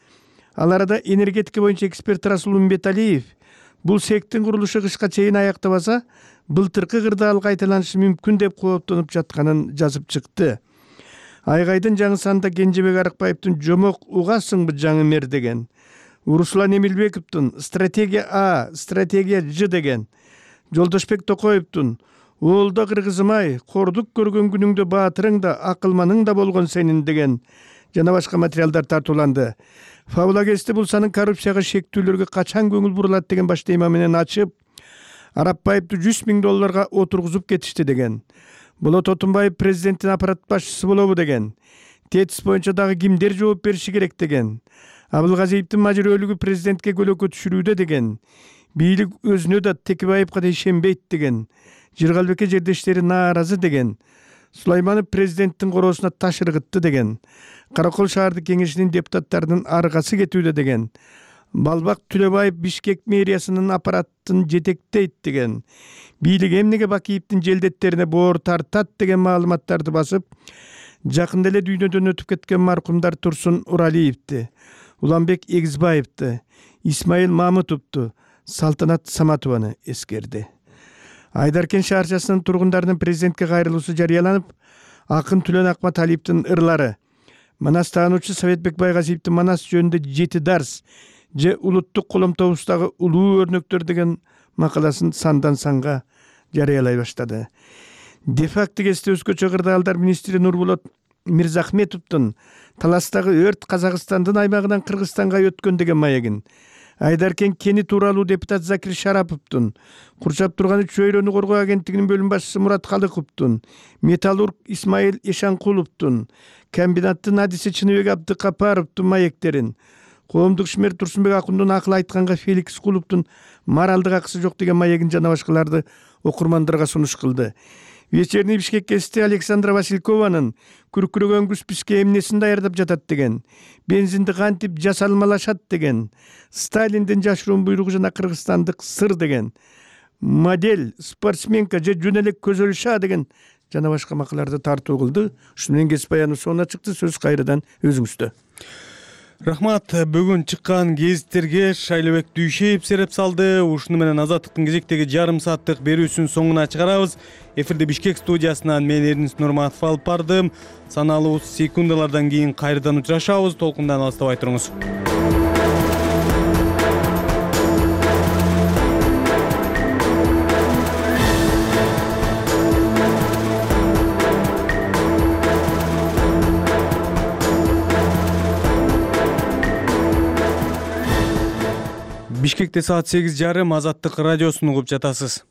Ал арада энергетика боюнча эксперт Расул Умбеталиев бул сектин курулушу кышка чейин аяктабаса, былтыркы кырдаал кайталанышы мүмкүн деп кооптонуп жатканын жазып чыкты. Айгайдын жаңы санында Кенжебек Арыкбаевдин «Жомок угасыңбы жаңы мэр» деген, Руслан Эмилбековдун «Стратегия А, стратегия Ж» деген, Жолдошбек Токоевдун «Оолда кыргызым-ай, кордук көргөн күнүңдө баатырың да, акылманың да болгон сенин» деген жана башка материалдар тартууланды. Фабула гезити бул санын коррупцияга шектүүлөргө качан көңүл бурулат деген баш тема менен ачып, Арапбаевди $100,000 отургузуп кетишти деген. Болот Отунбаев президенттин аппарат башчысы болобу деген. Тетис боюнча дагы кимдер жооп бериши керек деген. Абылгазиевдин мажырөөлүгү президентке көлөкө түшүрүүдө деген. Бийлик өзүнө да Текебаевга да ишенбейт деген. Жыргалбекке жердештери нааразы деген. Сулайманов президенттин короосуна таш ыргытты деген. Каракол шаардык кеңешинин депутаттарынын аргасы кетүүдө деген. Балбак Түлөбаев Бишкек мэриясынын аппаратын жетектейт деген. Бийлик эмнеге Бакиевдин желдеттерине боор тартат деген маалыматтарды басып, жакында эле дүйнөдөн өтүп кеткен маркумдар Турсун Уралиевди, Уланбек Эгизбаевди, Исмаил Мамытовду, Салтанат Саматованы эскерди. Айдаркен шаарчасынын тургундарынын президентке кайрылуусу жарыяланып, акын Түлөн Акматалиевдин ырлары, Манас таануучу Советбек Байгазиевдин Манас жөнүндө 7 дарс же улуттук коломтобуздагы улуу өрнөктөр деген макаласын сандан санга жарыялай баштады. Де-факто гезити өзгөчө кырдаалдар министри Нурболот Мирзахметовдун таластагы өрт Казакстандын аймагынан Кыргызстанга өткөн деген маегин, Айдаркен кени тууралуу депутат Закир Шараповдун, курчап турган чөйрөнү коргоо агенттигинин бөлүм башчысы Мурат Калыковдун, металлург Исмаил Эшанкуловдун, комбинаттын адиси Чыныбек Абдыкапаровдун маектерин, коомдук ишмер Турсунбек Акундун акыл айтканга Феликс Куловдун моралдык акысы жок деген маегин жана башкаларды окурмандарга сунуш кылды. Вечерний Бишкек гезити Александра Василькованын күркүрөгөн күз бизге эмнесин даярдап жатат деген, бензинди кантип жасалмалашат деген, Сталиндин жашыруун буйругу жана кыргызстандык сыр деген, модель, спортсменка же жөн эле Көзөл Ша деген жана башка макалаларды тартуу кылды. Ушуну менен гезит баяныбыз соңуна чыкты. Сөз кайрадан өзүңүздө. Рахмат. Бүгүн чыккан гезиттерге Шайлебек Дүйшеев сереп салды. Ушуну менен Азаттыктын кезектеги жарым сааттык берүүсүн соңуна чыгарабыз. Эфирде Бишкек студиясынан мен Эрнис Нурматов алып бардым. Саналуу секундалардан кийин кайрадан учурашабыз. Толкундан алыстабай туруңуз. Бишкекте саат 8:30 Азаттык радиосун угуп жатасыз.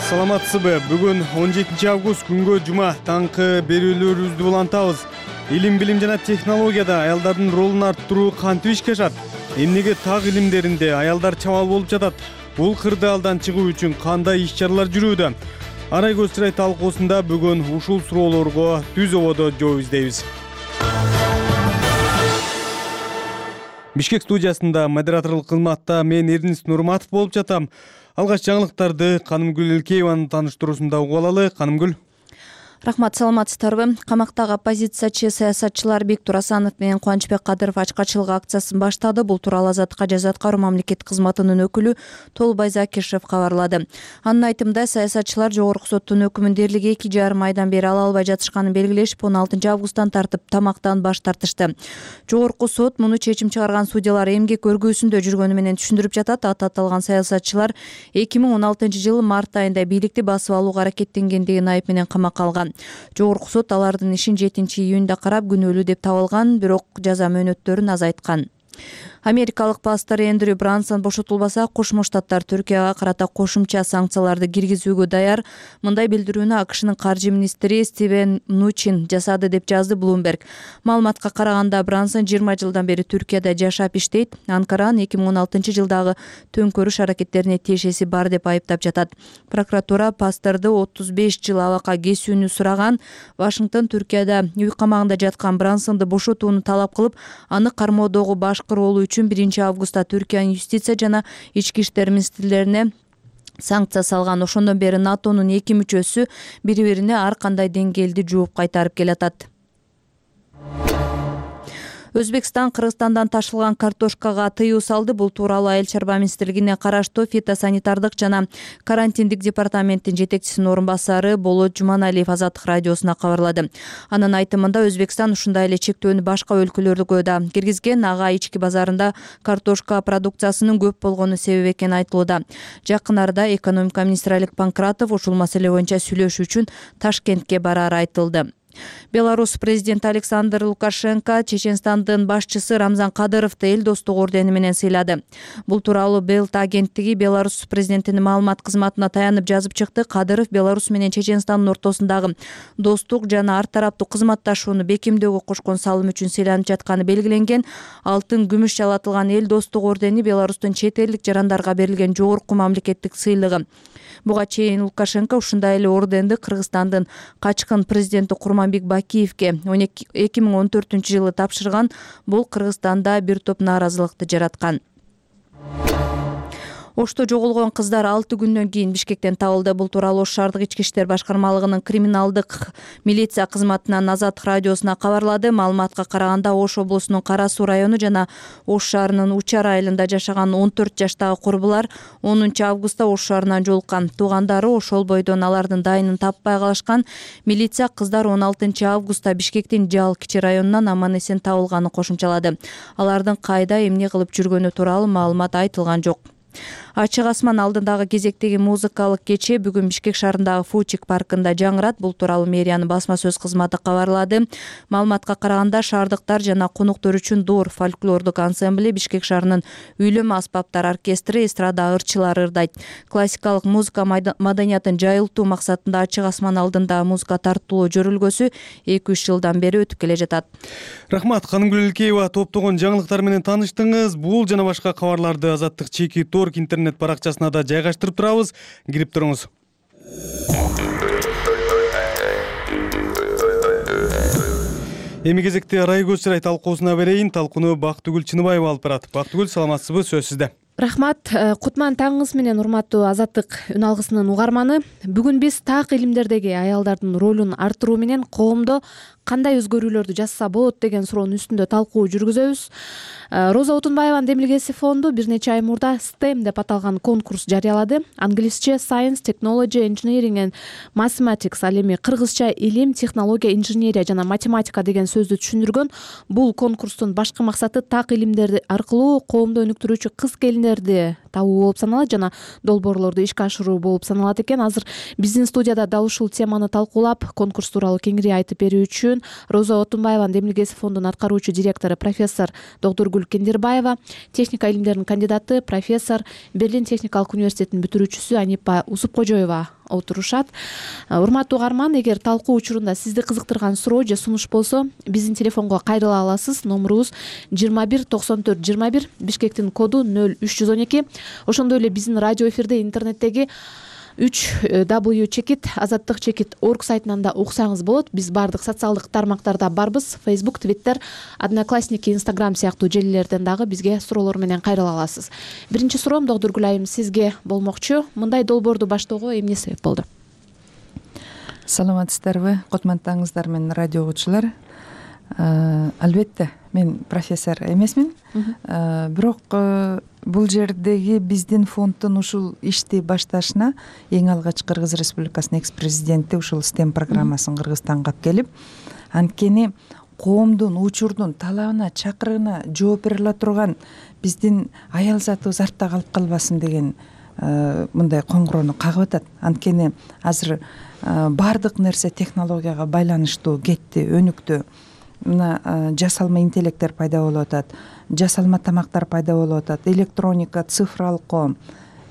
Саламатсызбы? Бүгүн 17 август күнгө жума таңкы берүүлөрүбүздү улантабыз. Илим, билим жана технологияда аялдардын ролун арттыруу кантип ишке ашат? Эмнеге так илимдеринде аялдар чамал болуп жатат? Бул кырдаалдан чыгуу үчүн кандай иш-чаралар жүрүүдө? Арай көз чырай талкуусунда бүгүн ушул суроолорго түз ободо жооп издейбиз. Бишкек студиясында модераторлук кызматта мен Эрнис Нурматов болуп жатам. Алгач жаңылыктарды Канымгүл Элкееванын тааныштыруусунда угуп алалы. Канымгүл. Рахмат, саламатсыздарбы? Камактагы оппозициячы саясатчылар Бектур Асанов менен Кубанычбек Кадыров ачкачылык акциясын баштады. Бул тууралуу Азаттыкка жазат Каруу мамлекеттик кызматынын өкүлү Толбай Закишев кабарлады. Анын айтымында саясатчылар жогорку соттун өкүмүн дээрлик 2,5 айдан бери ала албай жатышканын белгилешип, 16 августтан тартып тамактан баш тартышты. Жогорку сот муну чечим чыгарган судьялар эмгек өргүүсүндө жүргөнү менен түшүндүрүп жатат. Аталган саясатчылар 2016 жылы март айында бийликти басып алууга аракеттенгендигин айып менен камакка алган. Жогорку сот алардын ишин 7 июнда карап күнөөлүү деп табылган, бирок жаза мөөнөттөрүн азайткан. Америкалык пастор Эндрю Брансон бошотулбаса, Кошмо Штаттар Түркияга карата кошумча санкцияларды киргизүүгө даяр. Мындай билдирүүнү АКШнын каржы министри Стивен Нучин жасады деп жазды Bloomberg. Маалыматка караганда Брансон 20 жылдан бери Түркияда жашап иштейт. Анкаранын 2016 жылдагы төңкөрүш аракеттерине тиешеси бар деп айыптап жатат. Прокуратура пасторду 35 жыл абакка кесүүнү сураган. Вашингтон Түркияда үй камагында жаткан Брансонду бошотууну талап кылып, аны кармоодогу башкы ролу үчүн 1 августта Түркиянын юстиция жана ички иштер министрлерине санкция салган. Ошондон бери НАТОнун 2 мүчөсү бири-бирине ар кандай деңгээлди жууп кайтарып келатат. Өзбекстан Кыргызстандан ташылган картошкага тыюу салды. Бул тууралуу Айыл чарба министрлигине караштуу фитосанитардык жана карантиндик департаменттин жетекчисинин орун басары Болот Жуманалиев Азаттык радиосуна кабарлады. Анын айтымында Өзбекстан ушундай эле чектөөнү башка өлкөлөргө да киргизген. Ага ички базарында картошка продукциясынын көп болгону себеп экени айтылууда. Жакын арада экономика министри Олег Панкратов ушул маселе боюнча сүйлөшүү үчүн Ташкентке барары айтылды. Беларусь президенти Александр Лукашенко Чеченстандын башчысы Рамзан Кадыровду эл достук ордени менен сыйлады. Бул тууралуу Белт агенттиги Беларусь президентинин маалымат кызматына таянып жазып чыкты. Кадыров Беларусь менен Чеченстандын ортосундагы достук жана ар тараптуу кызматташууну бекемдөөгө кошкон салым үчүн сыйланып жатканы белгиленген. Алтын, күмүш жалатылган эл достук ордени Беларустун чет элдик жарандарга берилген жогорку мамлекеттик сыйлыгы. Буга чейин Лукашенко ушундай эле орденди Кыргызстандын качкын президенти Курманбек Бакиевке 2014 жылы тапшырган. Бул Кыргызстанда бир топ нааразылыкты жараткан. Ошто жоголгон кыздар 6 күндөн кийин Бишкектен табылды. Бул тууралуу Ош шаардык ички иштер башкармалыгынын криминалдык милиция кызматынан Азаттык радиосуна кабарлады. Маалыматка караганда Ош облусунун Кара Суу району жана Ош шаарынын Учар айылында жашаган 14 жаштагы курбулар 10 августта Ош шаарынан жолуккан. Туугандары ошол бойдон алардын дайынын таппай калышкан. Милиция кыздар 16 августта Бишкектин Жал кичи районунан аман эсен табылганын кошумчалады. Алардын кайда эмне кылып жүргөнү тууралуу маалымат айтылган жок. Ачык асман алдындагы кезектеги музыкалык кече бүгүн Бишкек шаарындагы Фучик паркында жаңырат. Бул тууралуу мэриянын басма сөз кызматы кабарлады. Маалыматка караганда шаардыктар жана конуктор үчүн Дор фольклордук ансамбли, Бишкек шаарынын үйлөмө аспаптар оркестри, эстрада ырчылары ырдайт. Классикалык музыка маданиятын жайылтуу максатында Ачык асман алдында музыка тартуулоо жөрүлгөсү 2-3 жылдан бери өтүп келе жатат. Рахмат, Канымгүл Элкеева топтогон жаңылыктар менен тааныштыңыз. Бул жана башка кабарларды Азаттык чеки Торг интернет баракчасына да жайгаштырып турабыз. Кирип туруңуз. Эми кезекте Арай көз чырай талкуусуна берейин. Талкууну Бактыгүл Чыныбаева алып барат. Бактыгүл, саламатсызбы? Сөз сизде. Рахмат. Кутман таңыңыз менен, урматтуу Азаттык үн алгысынын угарманы. Бүгүн биз так илимдердеги аялдардын ролун арттыруу менен коомдо кандай өзгөрүүлөрдү жасаса болот деген суроонун үстүндө талкуу жүргүзөбүз. Роза Отунбаеванын демилгеси фонду бир нече ай мурда STEM деп аталган конкурс жарыялады. Англисче Science, Technology, Engineering and Mathematics, ал эми кыргызча илим, технология, инженерия жана математика деген сөздү түшүндүргөн. Бул конкурстун башкы максаты так илимдерди аркылуу коомду өнүктүрүүчү кыз келиндерди табуу болуп саналат жана долбоорлорду ишке ашыруу болуп саналат экен. Азыр биздин студияда дал ушул теманы талкуулап, конкурс тууралуу кеңири айтып берүү үчүн Роза Отунбаеванын демилгеси фондунун аткаруучу директору профессор Доктургүл Кендирбаева, техника илимдеринин кандидаты, профессор, Берлин техникалык университетинин бүтүрүүчүсү Анипа Усупкожоева отурушат. Урматтуу угарман, эгер талкуу учурунда сизди кызыктырган суроо же сунуш болсо, биздин телефонго кайрыла аласыз. Номурубуз 21 94 21, Бишкектин коду 0312. Ошондой эле биздин радио эфирде интернеттеги 3w-azаттык.org сайтынан да уксаңыз болот. Биз баардык социалдык тармактарда барбыз. Facebook, Twitter, Одноклассники, Instagram сыяктуу желилерден дагы бизге суроолор менен кайрыла аласыз. Биринчи суроом Доктургүл айым сизге болмокчу. Мындай долбоорду баштоого эмне себеп болду? Саламатсыздарбы, кутмандаңыздар менен радио угуучулар. Албетте, мен профессор эмесмин, бирок бул жердеги биздин фонддун ушул ишти башташына эң алгач Кыргыз Республикасынын экс-президенти ушул STEM программасын Кыргызстанга алып келип, анткени коомдун учурдун талабына, чакырыгына жооп бере ала турган биздин аял затыбыз артта калып калбасын деген мындай коңгуроону кагып атат. Анткени азыр баардык нерсе технологияга байланыштуу кетти, өнүктү. Мына жасалма интеллекттер пайда болуп атат, жасалма тамактар пайда болуп атат, электроника, цифралык коом.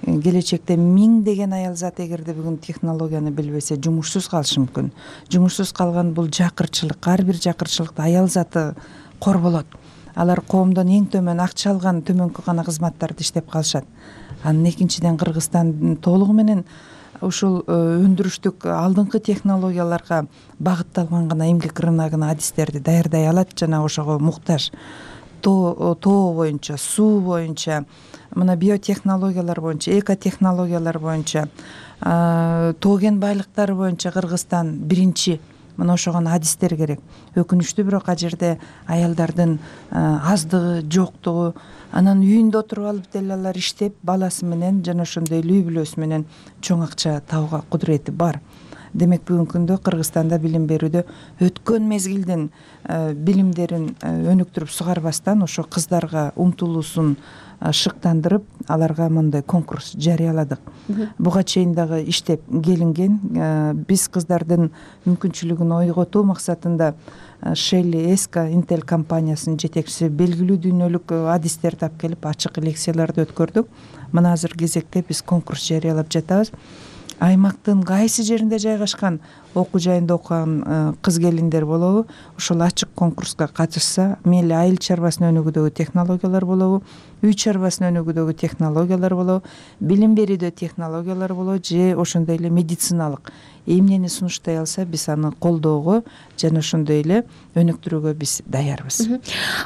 Келечекте миңдеген аял зат эгерде бүгүн технологияны билбесе жумушсуз калышы мүмкүн. Жумушсуз калган бул жакырчылык, ар бир жакырчылыкта аял заты корболот. Алар коомдон эң төмөн акча алган төмөнкү гана кызматтарды иштеп калышат. Анын экинчиден Кыргызстан толугу менен ушул өндүрүштүк алдыңкы технологияларга багытталган гана эмгек рыногуна адистерди даярдай алат жана ошого муктаж. Тоо боюнча, суу боюнча, мына биотехнологиялар боюнча, экотехнологиялар боюнча, тоо кен байлыктары боюнча Кыргызстан биринчи. Мына ошого адистер керек. Өкүнүчтүү, бирок ал жерде аялдардын аздыгы, жоктугу. Анан үйүндө отуруп алып деле алар иштеп, баласы менен жана ошондой эле үй бүлөсү менен чоң акча табууга кудурети бар. Демек бүгүнкү күндө Кыргызстанда билим берүүдө өткөн мезгилдин билимдерин өнүктүрүп сугарбастан ошо кыздарга умтулуусун шыктандырып, аларга мындай конкурс жарыяладык. Буга чейин дагы иштеп келинген. Биз кыздардын мүмкүнчүлүгүн ойготуу максатында Shelly Eska Intel компаниясынын жетекчиси белгилүү дүйнөлүк адистерди алып келип ачык лекцияларды өткөрдүк. Мына азыр кезекте биз конкурс жарыялап жатабыз. Аймактын кайсы жеринде жайгашкан окуу жайында окуган кыз келиндер болобу, ошол ачык конкурска катышса, мейли айыл чарбасын өнүгүүдөгү технологиялар болобу, үй чарбасын өнүгүүдөгү технологиялар болобу, билим берүүдө технологиялар болобу же ошондой эле медициналык эмнени сунуштай алса, биз аны колдоого жана ошондой эле өнүктүрүүгө биз даярбыз.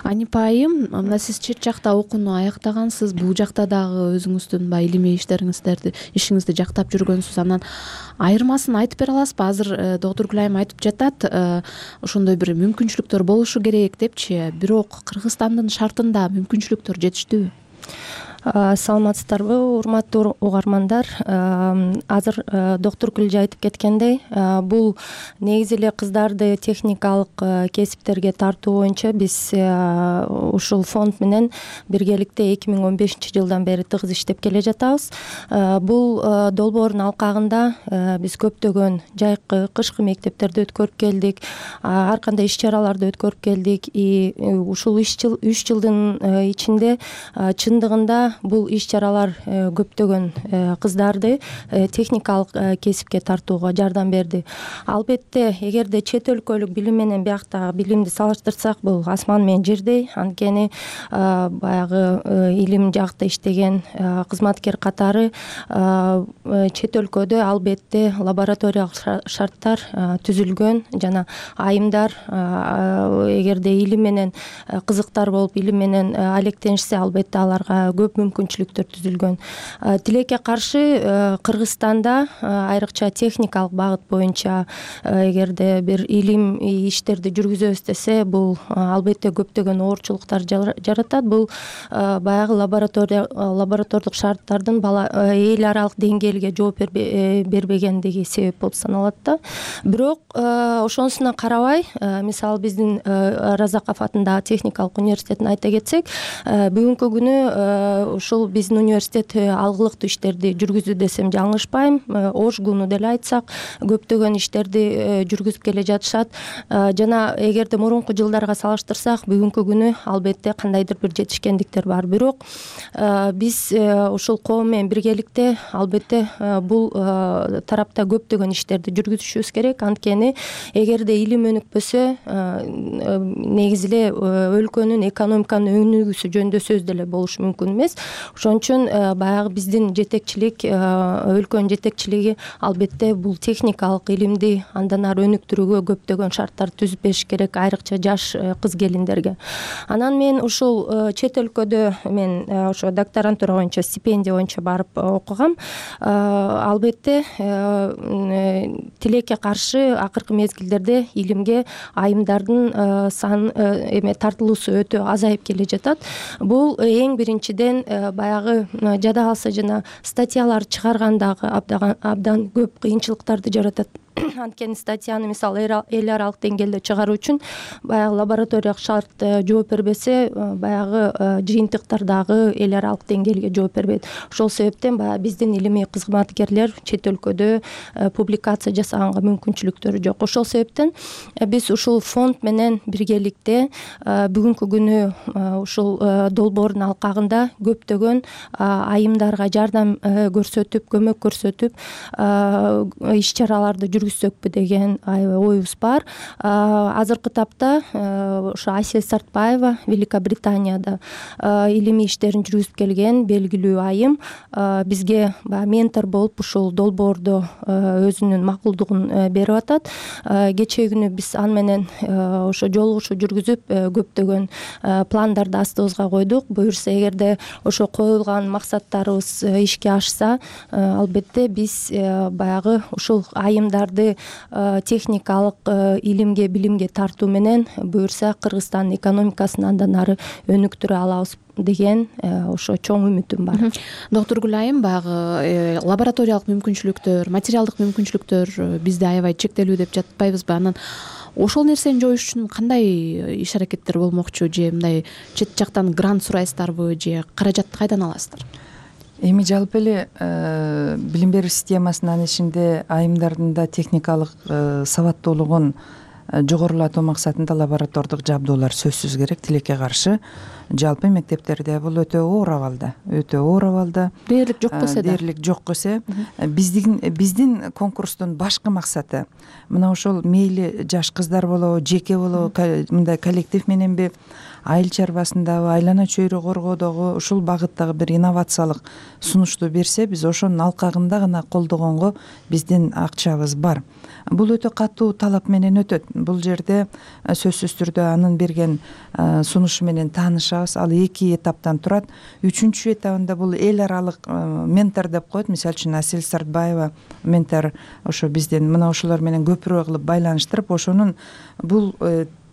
Анипа айым, мына сиз чет жакта окууну аяктагансыз, бул жакта дагы өзүңүздүн баягы илимий ишиңизди жактап жүргөнсүз. Анан айырмасын айтып бере аласызбы? Азыр Доктургүл айым айтып жатат, ошондой бир мүмкүнчүлүктөр болушу керек депчи, бирок Кыргызстандын шартында мүмкүнчүлүктөр жетиштүүбү? Саламатсыздарбы, урматтуу угармандар. Азыр Доктургүл айтып кеткендей, бул негизи эле кыздарды техникалык кесиптерге тартуу боюнча биз ушул фонд менен биргеликте 2015 жылдан бери тыгыз иштеп келе жатабыз. Бул долбоордун алкагында биз көптөгөн жайкы, кышкы мектептерди өткөрүп келдик, ар кандай иш чараларды өткөрүп келдик. Ушул 3 жылдын ичинде чындыгында бул иш чаралар көптөгөн кыздарды техникалык кесипке тартууга жардам берди. Албетте, эгерде чет өлкөлүк билим менен биякта билимди салыштырсак, бул асман менен жердей. Анткени баягы илим жакта иштеген кызматкер катары чет өлкөдө албетте лабораториялык шарттар түзүлгөн жана айымдар эгерде илим менен кызыктар болуп, илим менен алектенишсе, албетте аларга көп мүмкүнчүлүктөр түзүлгөн. Тилекке каршы Кыргызстанда айрыкча техникалык багыт боюнча эгерде бир илим иштерди жүргүзөбүз десе, бул албетте көптөгөн оорчулуктар жаратат. Бул баягы лаборатордук шарттардын эл аралык деңгээлге жооп бербегендиги себеп болуп саналат да. Бирок ошонусуна карабай, мисалы биздин Разаков атындагы техникалык университетин айта кетсек, бүгүнкү күнү ушул биздин университет алгылыктуу иштерди жүргүздү десем жаңылышпайм. Ошгуну деле айтсак, көптөгөн иштерди жүргүзүп келе жатышат. Жана эгерде мурунку жылдарга салыштырсак, бүгүнкү күнү албетте кандайдыр бир жетишкендиктер бар. Бирок биз ушул коом менен биргеликте албетте бул тарапта көптөгөн иштерди жүргүзүшүбүз керек. Анткени эгерде илим өнүкпөсө, негизи эле өлкөнүн экономиканын өнүгүүсү жөнүндө сөз деле болушу мүмкүн эмес. Ошон үчүн баягы биздин жетекчилик, өлкөнүн жетекчилиги албетте бул техникалык илимди андан ары өнүктүрүүгө көптөгөн шарттар түзүп бериш керек, айрыкча жаш кыз келиндерге. Анан мен ушул чет өлкөдө мен ошо докторантура боюнча, стипендия боюнча барып окугам. Албетте тилекке каршы акыркы мезгилдерде илимге айымдардын тартылуусу өтө азайып келе жатат. Бул эң биринчиден баягы жада калса жана статьялар чыгаргандагы абдан көп кыйынчылыктарды жаратат. Анткени статьяны мисалы эл аралык деңгээлде чыгаруу үчүн баягы лабораториялык шарт жооп бербесе, баягы жыйынтыктар дагы эл аралык деңгээлге жооп бербейт. Ошол себептен баягы биздин илимий кызматкерлер чет өлкөдө публикация жасаганга мүмкүнчүлүктөрү жок. Ошол себептен биз ушул фонд менен биргеликте бүгүнкү күнү ушул долбоордун алкагында көптөгөн айымдарга жардам көрсөтүп, көмөк көрсөтүп, иш чараларды жүргүзсөкпү деген оюбуз бар. Азыркы тапта ошо Асель Сартбаева Великобританияда илимий иштерин жүргүзүп келген белгилүү айым бизге ментор болуп ушул долбоордо өзүнүн макулдугун берип атат. Кечээ күнү биз аны менен ошо жолугушуу жүргүзүп көптөгөн пландарды астыбызга койдук. Буюрса, эгерде ошо коюлган максаттарыбыз ишке ашса, албетте биз баягы ушул айымдарды техникалык илимге, билимге тартуу менен буюрса Кыргызстандын экономикасын андан ары өнүктүрө алабыз деген ошо чоң үмүтүм бар. Доктор Гүл айым, баягы лабораториялык мүмкүнчүлүктөр, материалдык мүмкүнчүлүктөр бизде аябай чектелүү деп жатпайбызбы? Анан ошол нерсени жоюш үчүн кандай иш аракеттер болмокчу? Же мындай чет жактан грант сурайсыздарбы, же каражатты кайдан аласыздар? Эми жалпы эле билим берүү системасынын ичинде айымдардын да техникалык сабаттуулугун жогорулатуу максатында лаборатордук жабдуулар сөзсүз керек. Тилекке каршы жалпы мектептерде бул өтө оор абалда. Дээрлик жок болсо да. Дээрлик жок болсо, биздин конкурстун башкы максаты мына ошол мейли жаш кыздар болобу, жеке болобу, мындай коллектив мененби, айыл чарбасындагы, айлана чөйрө коргоодогу ушул багыттагы бир инновациялык сунушту берсе, биз ошонун алкагында гана колдогонго биздин акчабыз бар. Бул өтө катуу талап менен өтөт. Бул жерде сөзсүз түрдө анын берген сунушу менен таанышабыз. Ал 2 этаптан турат. 3-чү этабында бул эл аралык ментор деп коет. Мисалы үчүн Асель Сартбаева ментор ошо бизден мына ошолор менен көпүрө кылып байланыштырып, ошонун бул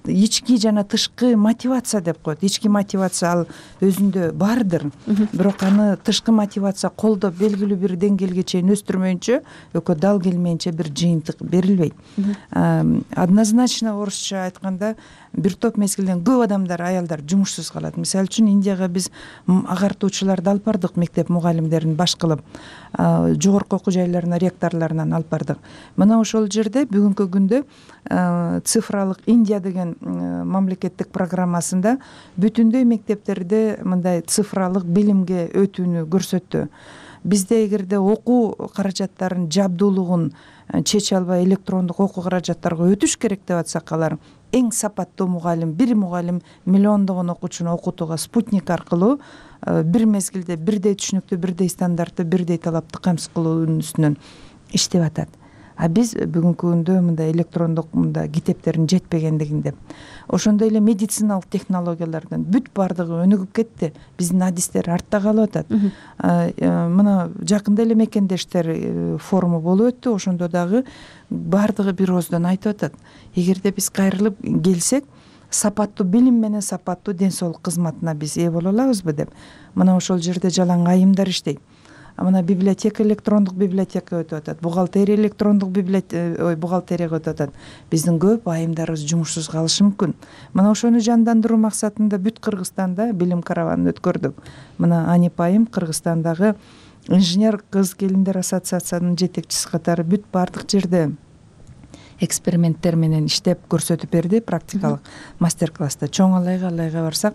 ички жана тышкы мотивация деп коет. Ички мотивация ал өзүндө бардыр. Бирок аны тышкы мотивация колдоп белгилүү бир деңгээлге чейин өстүрмөйүнчө, экөө дал келмейинче бир жыйынтык берилбейт. Однозначно орусча айтканда бир топ мезгилден көп адамдар, аялдар жумушсуз калат. Мисалы үчүн Индияга биз агартуучуларды алып бардык, мектеп мугалимдерин баш кылып, жогорку окуу жайларына ректорлорунан алып бардык. Мына ошол жерде бүгүнкү күндө цифралык Индия деген мамлекеттик программасында бүтүндөй мектептерде мындай цифралык билимге өтүүнү көрсөттү. Бизде эгерде окуу каражаттарын жабдуулугун чече албай электрондук окуу каражаттарга өтүш керек деп атсак, алар эң сапаттуу мугалим, бир мугалим миллиондогон окуучуну окутууга спутник аркылуу бир мезгилде бирдей түшүнүктүү, бирдей стандартты, бирдей талапты камсыз кылуунун үстүнөн иштеп атат. а биз бүгүнкү күндө мындай электрондук мындай китептердин жетпегендигин деп. Ошондой эле медициналык технологиялардын бүт баардыгы өнүгүп кетти, биздин адистер артта калып атат. Мына жакында эле мекендештер форуму болуп өттү, ошондо дагы баардыгы бир ооздон айтып атат, эгерде биз кайрылып келсек сапаттуу билим менен сапаттуу ден соолук кызматына биз ээ боло алабызбы деп. Мына ошол жерде жалаң айымдар иштейт. Мына библиотека, электрондук библиотека өтүп атат, бухгалтерия, электрондук бухгалтерияга өтүп атат. Биздин көп айымдарыбыз жумушсуз калышы мүмкүн. Мына ошону жандандыруу максатында бүт Кыргызстанда билим караванын өткөрдүк. Мына Анип айым Кыргызстандагы инженер кыз келиндер ассоциациясынын жетекчиси катары бүт баардык жерде эксперименттер менен иштеп көрсөтүп берди, практикалык мастер-класста. Чоң Алайга барсак,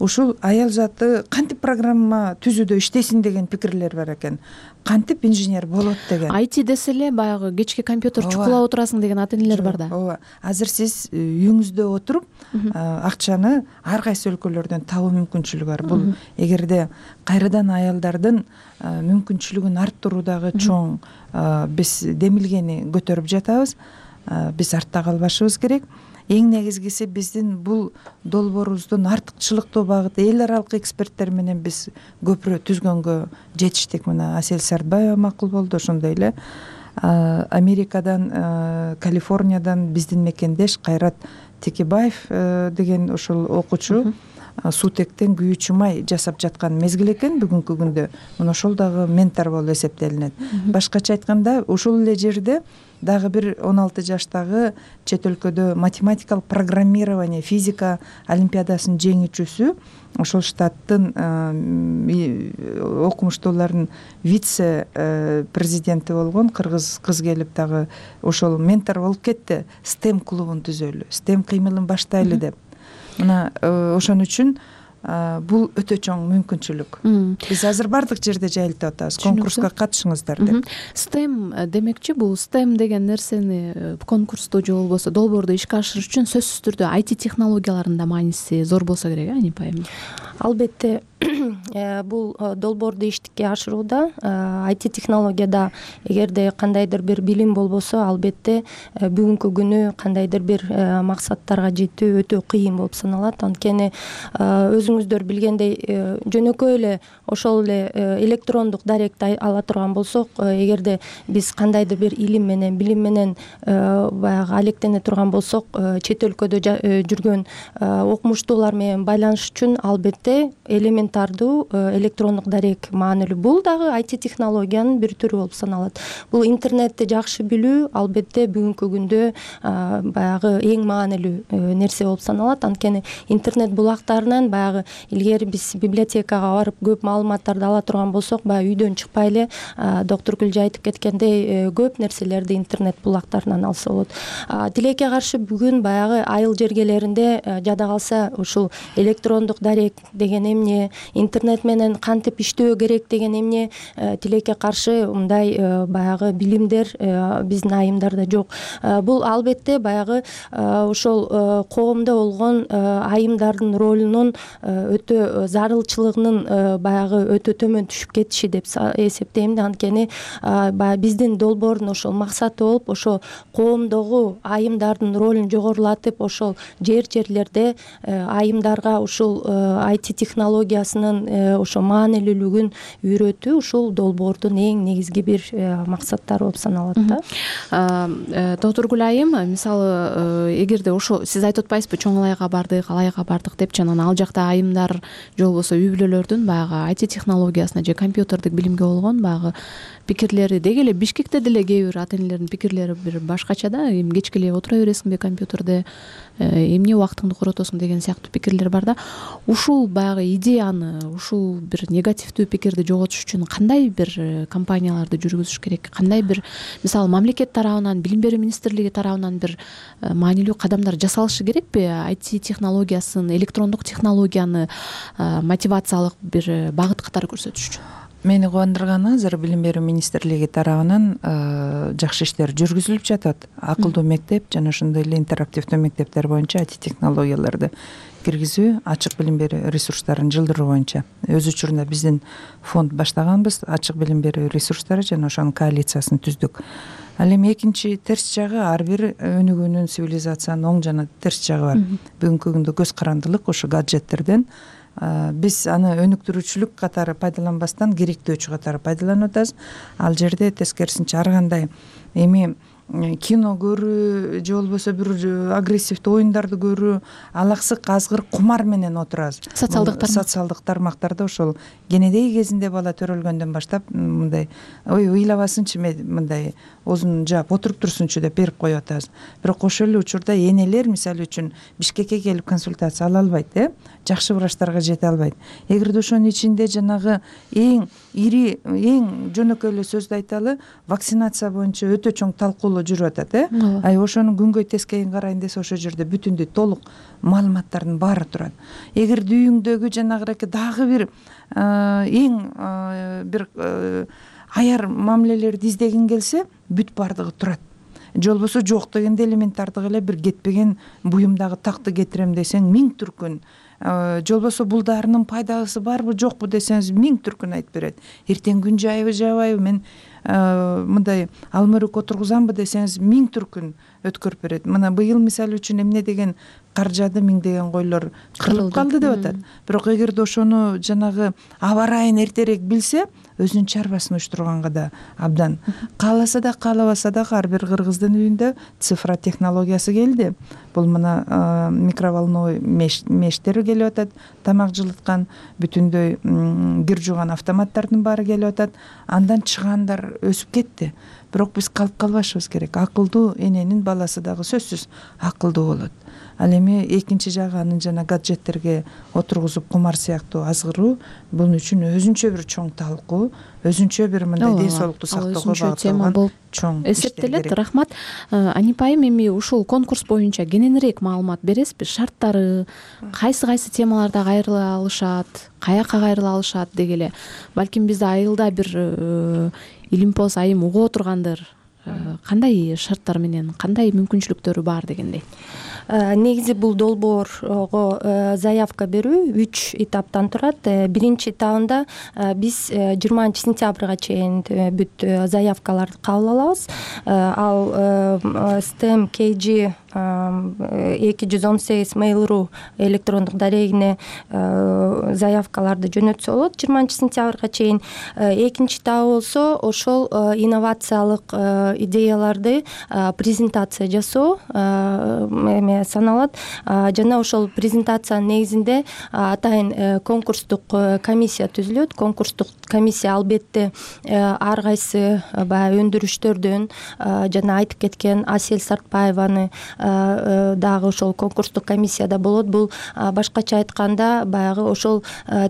ушул аял заты кантип программа түзүүдө иштесин деген пикирлер бар экен. Кантип инженер болот деген. IT десе эле баягы кечки компьютер чукулап отурасың деген ата-энелер бар да. Ооба. Азыр сиз үйүңүздө отуруп акчаны ар кайсы өлкөлөрдөн табуу мүмкүнчүлүгү бар. Бул эгерде кайрадан аялдардын мүмкүнчүлүгүн арттыруудагы чоң биз демилгени көтөрүп жатабыз. Биз артта калбашыбыз керек. Эң негизгиси биздин бул долбоорубуздун артыкчылыктуу багыты эл аралык эксперттер менен биз көпүрө түзгөнгө жетиштик. Мына Асель Сартбаева макул болду, ошондой эле Америкадан, Калифорниядан биздин мекендеш Кайрат Текебаев деген ошол окуучу суутектен күйүүчү май жасап жаткан мезгил экен бүгүнкү күндө. Мына ошол дагы ментор болуп эсептелинет. Башкача айтканда, ошол эле жерде дагы бир 16 жаштагы чет өлкөдө математикалык программирование, физика олимпиадасынын жеңүүчүсү, ошол штаттын окумуштуулардын вице президенти болгон кыргыз кыз келип дагы ошол ментор болуп кетти. STEM клубун түзөлү, STEM кыймылын баштайлы деп. Мына ошон үчүн бул өтө чоң мүмкүнчүлүк. Биз азыр бардык жерде жайылтып атабыз. Конкурска катышыңыздар деп. STEM демекчи, бул STEM деген нерсени конкурсту же болбосо долбоорду ишке ашырыш үчүн сөзсүз түрдө IT технологияларынын да мааниси зор болсо керек, Анип айым. Албетте бул долбоорду ишке ашырууда IT технологияда эгерде кандайдыр бир билим болбосо, албетте бүгүнкү күнү кандайдыр бир максаттарга жетүү өтө кыйын болуп саналат. Анткени өзүңүздөр билгендей, жөнөкөй эле ошол эле электрондук даректи ала турган болсок, эгерде биз кандайдыр бир илим менен, билим менен баягы алектене турган болсок, чет өлкөдө жүргөн окумуштуулар менен байланыш үчүн албетте элементардуу электрондук дарек маанилүү. Бул дагы IT технологиянын бир түрү болуп саналат. Бул интернетти жакшы билүү албетте бүгүнкү күндө баягы эң маанилүү нерсе болуп саналат. Анткени интернет булактарынан баягы илгери биз библиотекага барып көп маалыматтарды ала турган болсок, баягы үйдөн чыкпай эле доктор Гүлжа айтып кеткендей көп нерселерди интернет булактарынан алса болот. Тилекке каршы бүгүн баягы айыл жергелеринде жада калса ушул электрондук дарек деген эмне, интернет менен кантип иштөө керек деген эмне тилекке каршы мындай баягы билимдер биздин айымдарда жок. Бул албетте баягы ошол коомдо болгон айымдардын ролунун өтө зарылчылыгынын баягы өтө төмөн түшүп кетиши деп эсептейм да. Анткени биздин долбоордун ошол максаты болуп, ошо коомдогу айымдардын ролун жогорулатып, ошол жерлерде айымдарга ушул IT технологиясынын ошо маанилүүлүгүн үйрөтүү ушул долбоордун эң негизги бир максаттары болуп саналат да. Доктор Гүл айым, мисалы эгерде ошо сиз айтып атпайсызбы, Чоң Алайга бардык депчи, анан ал жакта айымдар же болбосо үй бүлөлөрдүн баягы IT технологиясына же компьютердик билимге болгон баягы пикирлери деги эле Бишкекте деле кээ бир ата-энелердин пикирлери бир башкача да. Эми кечке эле отура бересиңби компьютерде, эмне убактыңды коротосуң деген сыяктуу пикирлер бар да. Ушул баягы идеяны, ушул бир негативдүү пикирди жоготуш үчүн кандай бир компанияларды жүргүзүш керек? Кандай бир, мисалы, мамлекет тарабынан, Билим берүү министрлиги тарабынан бир маанилүү кадамдар жасалышы керекпи? IT технологиясын, электрондук технологияны мотивациялык бир багыт катары көрсөтүш үчүн. мени кубандырганы азыр билим берүү министрлиги тарабынан жакшы иштер жүргүзүлүп жатат. Акылдуу мектеп жана ошондой эле интерактивдүү мектептер боюнча IT технологияларды киргизүү, ачык билим берүү ресурстарын жылдыруу боюнча өз учурунда биздин фонд баштаганбыз. Ачык билим берүү ресурстары жана ошонун коалициясын түздүк. Ал эми экинчи терс жагы, ар бир өнүгүүнүн, цивилизациянын оң жана терс жагы бар. Бүгүнкү күндө көз карандылык ошо гаджеттерден биз аны өнүктүрүүчүлүк катары пайдаланбастан керектөөчү катары пайдаланып атабыз. Ал жерде тескерисинче ар кандай эми кино көрүү же болбосо бир агрессивдүү оюндарды көрүү, алаксык азгыр кумар менен отурабыз. Социалдык тармактарда ошол кенедей кезинде бала төрөлгөндөн баштап мындай ыйлабасынчы мындай оозун жаап отуруп турсунчу деп берип коюп атабыз. Бирок ошол эле учурда энелер мисалы үчүн Бишкекке келип консультация ала албайт, жакшы врачтарга жете албайт. Эгерде ошонун ичинде жанагы эң ири, эң жөнөкөй эле сөздү айталы, вакцинация боюнча өтө чоң талкуулоо жүрүп атат, ошону күнгөй тескейин карайын десе ошол жерде бүтүндөй толук маалыматтардын баары турат. Эгерде үйүңдөгү жанагыраки дагы бир эң бир аяр мамилелерди издегиң келсе, бүт баардыгы турат. Же болбосо жок дегенде элементардык эле бир кетпеген буюмдагы такты кетирем десең 1000 түркүн. Же болбосо бул дарынын пайдасы барбы жокпу десеңиз 1000 түркүн айтып берет. Эртең күн жайбы жабайбы, мен мындай алмөрөк отургузамбы десеңиз 1000 түркүн өткөрүп берет. Мына быйыл мисалы үчүн эмне деген кар жаады, миңдеген койлор кырылып калды деп атат. Бирок эгерде ошону жанагы аба ырайын эртерээк билсе, өзүнүн чарбасын уюштурганга да абдан. Кааласа да каалабаса да ар бир кыргыздын үйүндө цифра технологиясы келди. Бул мына микроволновой мештер келип атат, тамак жылыткан, бүтүндөй кир жууган автоматтардын баары келип атат. Андан чыгандар өсүп кетти. Бирок биз калып калбашыбыз керек. Акылдуу эненин баласы дагы сөзсүз акылдуу болот. Ал эми экинчи жагы анын жана гаджеттерге отургузуп кумар сыяктуу азгыруу бул үчүн өзүнчө бир чоң талкуу, өзүнчө бир мындай ден соолукту сактоого багытталган чоң эсептелет. Рахмат. Анип айым, эми ушул конкурс боюнча кененирээк маалымат бересизби? Шарттары, кайсы темаларда кайрыла алышат, каяка кайрыла алышат деги эле. Балким бизде айылда бир Илимпоз айым угуп отургандыр. Кандай шарттар менен, кандай мүмкүнчүлүктөрү бар дегендей? Негизи бул долбоорго заявка берүү 3 этаптан турат. Биринчи этабында биз 20-сентябрга чейин бүт заявкаларды кабыл алабыз. Ал STEM KG 218 mail.ru электрондук дарегине заявкаларды жөнөтсө болот 20-сентябрга чейин. Экинчи этабы болсо ошол инновациялык идеяларды презентация жасоо саналат. Жана ошол презентациянын негизинде атайын конкурстук комиссия түзүлөт. Конкурстук комиссия албетте ар кайсы баягы өндүрүштөрдөн жана айтып кеткен Асель Сартбаеваны дагы ошол конкурстук комиссияда болот. Бул башкача айтканда баягы ошол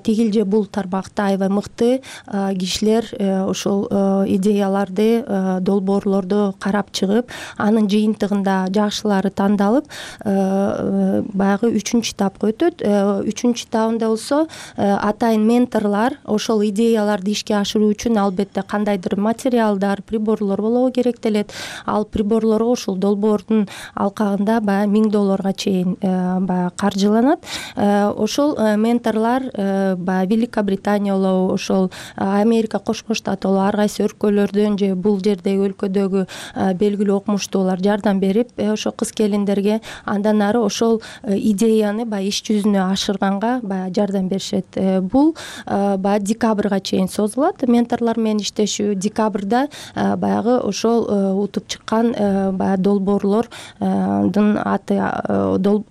тигил же бул тармакта аябай мыкты кишилер ошол идеяларды, долбоорлорду карап чыгып, анын жыйынтыгында жакшылары тандалып, баягы 3-үчү этапка өтөт. 3-үчү этабында болсо атайын менторлор ошол идеяларды ишке ашыруу үчүн албетте кандайдыр материалдар, приборлор болобу керектелет. Ал приборлорго ошол долбоордун алкагында баягы $1000 чейин баягы каржыланат. Ошол менторлор баягы Великобритания болобу, ошол Америка Кошмо Штаты болобу, ар кайсы өлкөлөрдөн же бул жердеги өлкөдөгү белгилүү окумуштуулар жардам берип, ошо кыз-келиндерге андан ары ошол идеяны баягы иш жүзүнө ашырганга баягы жардам беришет. Бул баягы декабрга чейин созулат. Менторлор менен иштешүү декабрда баягы ошол утуп чыккан баягы долбоорлордун аты,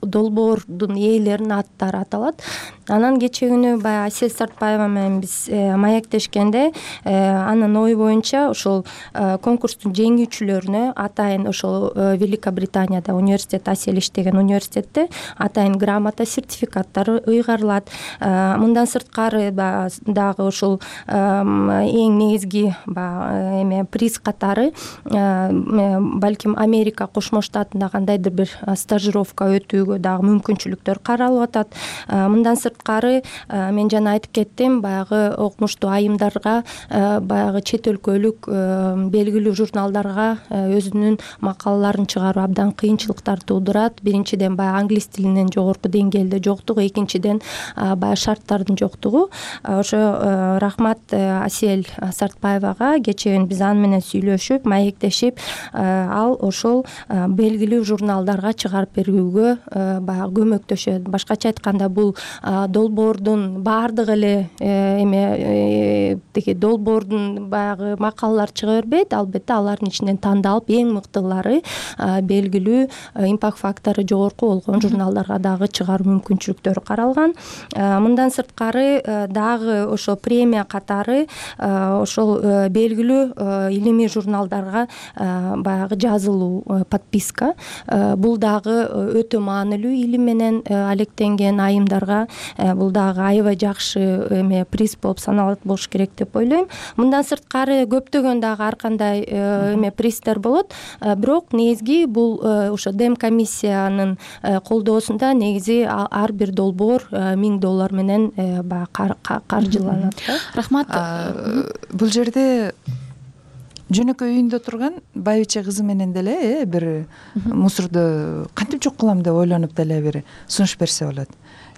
долбоордун ээлеринин аттары аталат. Анан кечээ күнү баягы Асель Сартбаева менен биз маектешкенде анын ою боюнча ошол конкурстун жеңүүчүлөрүнө атайын ошол Великобританияда университет, Асель иштеген университетте атайын грамота, сертификаттар ыйгарылат. Мындан сырткары дагы ошол эң негизги приз катары балким Америка Кошмо Штатында кандайдыр бир стажировка өтүүгө дагы мүмкүнчүлүктөр каралып атат. Мындан сырткары мен жана айтып кеттим, баягы окумуштуу айымдарга, баягы чет өлкөлүк белгилүү журналдарга өзүнүн макалаларын чыгаруу абдан кыйынчылыктар туудурат. Биринчиден баягы англис тилинин жогорку деңгээлде жоктугу, экинчиден баягы шарттардын жоктугу. Ошо рахмат Асель Сартбаевага, кечээ биз аны менен сүйлөшүп, маектешип, ал ошол белгилүү журналдарга чыгарып берүүгө баягы көмөктөшөт. Башкача айтканда, бул долбоордун баардыгы эле тиги долбоордун баягы макалалар чыга бербейт. Албетте алардын ичинен тандалып эң мыктылары белгилүү импакт фактору жогорку болгон журналдарга дагы чыгаруу мүмкүнчүлүктөрү каралган. Мындан сырткары дагы ошо премия катары ошол белгилүү илимий журналдарга баягы жазылуу подписка. Бул дагы өтө маанилүү, илим менен алектенген айымдарга бул дагы аябай жакшы приз болуп саналат болуш керек деп ойлойм. Мындан сырткары көптөгөн дагы ар кандай пристер болот, бирок негизги бул ошо Дем комиссиянын колдоосунда негизи ар бир долбоор $1000 менен баягы каржыланат. Рахмат. Бул жерде жөнөкөй үйүндө турган байбиче кызы менен деле бир мусорду кантип жок кылам деп ойлонуп деле бир сунуш берсе болот.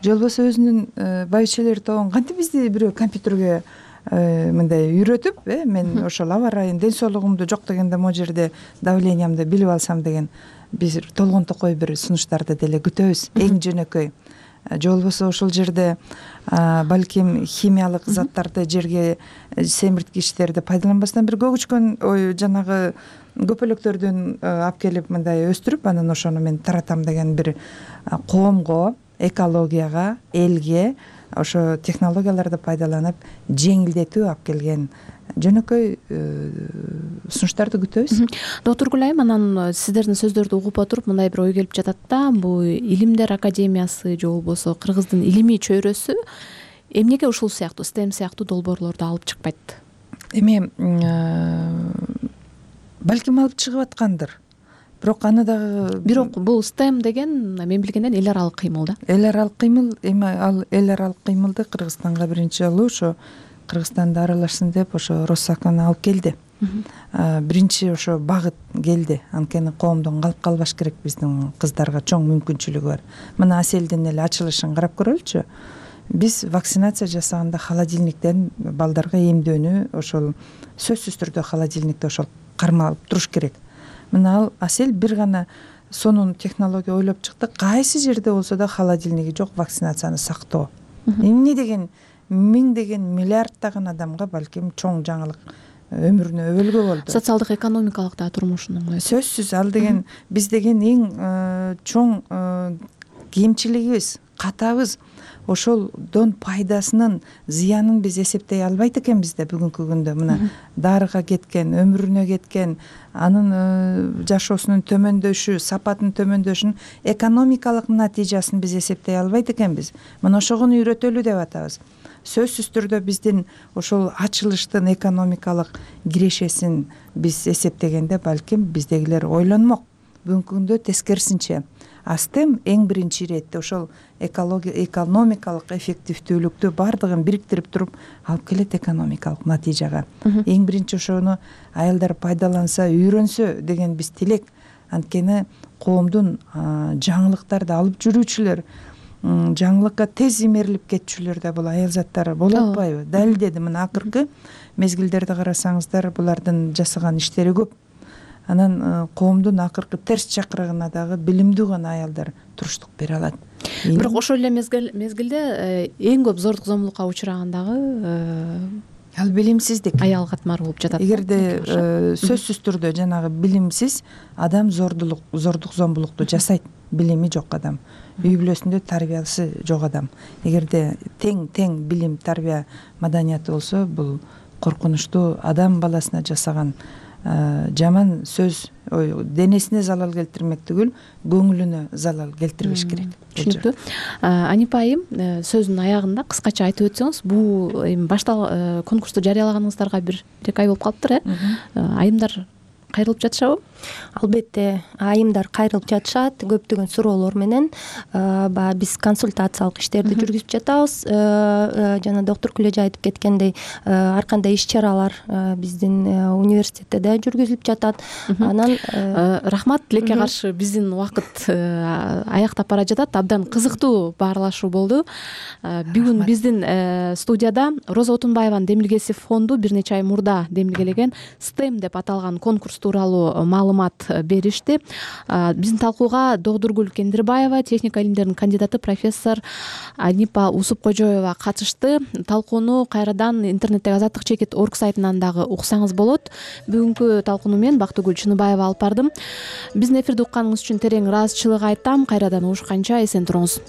Же болбосо өзүнүн байбичелер тобун кантип бизди бирөө компьютерге мындай үйрөтүп, мен ошол абарайын, ден соолугумду жок дегенде могу жерде давлениямды билип алсам деген биз толгонтокой бир сунуштарды деле күтөбүз, эң жөнөкөй. Же болбосо ошол жерде балким химиялык заттарды, жерге семирткичтерди пайдаланбастан бир көгүчкөн жанагы көпөлөктөрдөн алып келип мындай өстүрүп, анан ошону мен таратам деген бир коомго, экологияга, элге ошо технологияларды пайдаланып жеңилдетүү алып келген жөнөкөй сунуштарды күтөбүз. Доктор Гүлайым, анан сиздердин сөздөрдү угуп отуруп мындай бир ой келип жатат да, бул Илимдер академиясы же болбосо Кыргыздын илимий чөйрөсү эмнеге ушул сыяктуу STEM сыяктуу долбоорлорду алып чыкпайт? Эми балким алып чыгып аткандыр. Бирок бул STEM деген мен билгенден эл аралык кыймыл да. Эл аралык кыймыл, эми ал эл аралык кыймылды Кыргызстанга биринчи жолу ошо Кыргызстанды аралашсын деп ошо Россаканы алып келди. Биринчи ошо багыт келди. Анткени коомдон калып калбаш керек, биздин кыздарга чоң мүмкүнчүлүгү бар. Мына Аселдин эле ачылышын карап көрөлүчү. Биз вакцинация жасаганда холодильниктен балдарга эмдөөнү ошол сөзсүз түрдө холодильникте ошол кармалып туруш керек. Мына ал Асел бир гана сонун технология ойлоп чыкты. Кайсы жерде болсо да холодильниги жок вакцинацияны сактоо. Эмне деген миңдеген миллиарддаган адамга балким чоң жаңылык өмүрүнө өбөлгө болду. Социалдык, экономикалык да турмушун оңойтот. Сөзсүз ал деген биз деген эң чоң кемчилигибиз, катабыз. Ошолдон пайдасынын зыянын биз эсептей албайт экенбиз да бүгүнкү күндө. Мына дарыга кеткен, өмүрүнө кеткен, анын жашоосунун төмөндөшү, сапатынын төмөндөшүнүн экономикалык натыйжасын биз эсептей албайт экенбиз. Мына ошогону үйрөтөлү деп атабыз. Сөзсүз түрдө биздин ошол ачылыштын экономикалык кирешесин биз эсептегенде балким биздегилер ойлонмок. Бүгүнкү күндө тескерисинче STEM эң биринчи иретте ошол экономикалык эффективдүүлүктү бардыгын бириктирип туруп алып келет экономикалык натыйжага. Эң биринчи ошону аялдар пайдаланса, үйрөнсө деген биз тилек. Анткени коомдун жаңылыктарды алып жүрүүчүлөр, жаңылыкка тез имерилип кетчүлөр да бул аял заттары боло атпайбы? Далилдеди. Мына акыркы мезгилдерди карасаңыздар, булардын жасаган иштери көп. Анан коомдун акыркы терс чакырыгына дагы билимдүү гана аялдар туруштук бере алат. Бирок ошол эле мезгилде эң көп зордук зомбулукка учураган дагы ал билимсиздик, аял катмары болуп жатат. Эгерде сөзсүз түрдө жанагы билимсиз адам зордук зомбулукту жасайт, билими жок адам, үй бүлөсүндө тарбиясы жок адам. Эгерде тең билим, тарбия, маданияты болсо, бул коркунучтуу адам баласына жасаган жаман сөз денесине залал келтирмек түгүл, көңүлүнө залал келтирбеш керек. Түшүнүктүү. Анипа айым, сөздүн аягында кыскача айтып өтсөңүз, бул конкурсту жарыялаганыңыздарга бир эки ай болуп калыптыр, айымдар кайрылып жатышабы? Албетте айымдар кайрылып жатышат көптөгөн суроолор менен. Баягы биз консультациялык иштерди жүргүзүп жатабыз. Жана доктур Күлөжө айтып кеткендей, ар кандай иш-чаралар биздин университетте да жүргүзүлүп жатат. Анан рахмат. Тилекке каршы биздин убакыт аяктап бара жатат. Абдан кызыктуу баарлашуу болду. Бүгүн биздин студияда Роза Отунбаеванын демилгеси фонду бир нече ай мурда демилгелеген STEM деп аталган конкурс тууралуу маалымат беришти. Биздин талкууга Догдургүл Кендирбаева, техника илимдеринин кандидаты профессор Анипа Усупкожоева катышты. Талкууну кайрадан интернеттеги Азаттык чекит орг сайтынан дагы уксаңыз болот. Бүгүнкү талкууну мен Бактыгүл Чыныбаева алып бардым. Биздин эфирди укканыңыз үчүн терең ыраазычылык айтам. Кайрадан угушканча эсен туруңуз.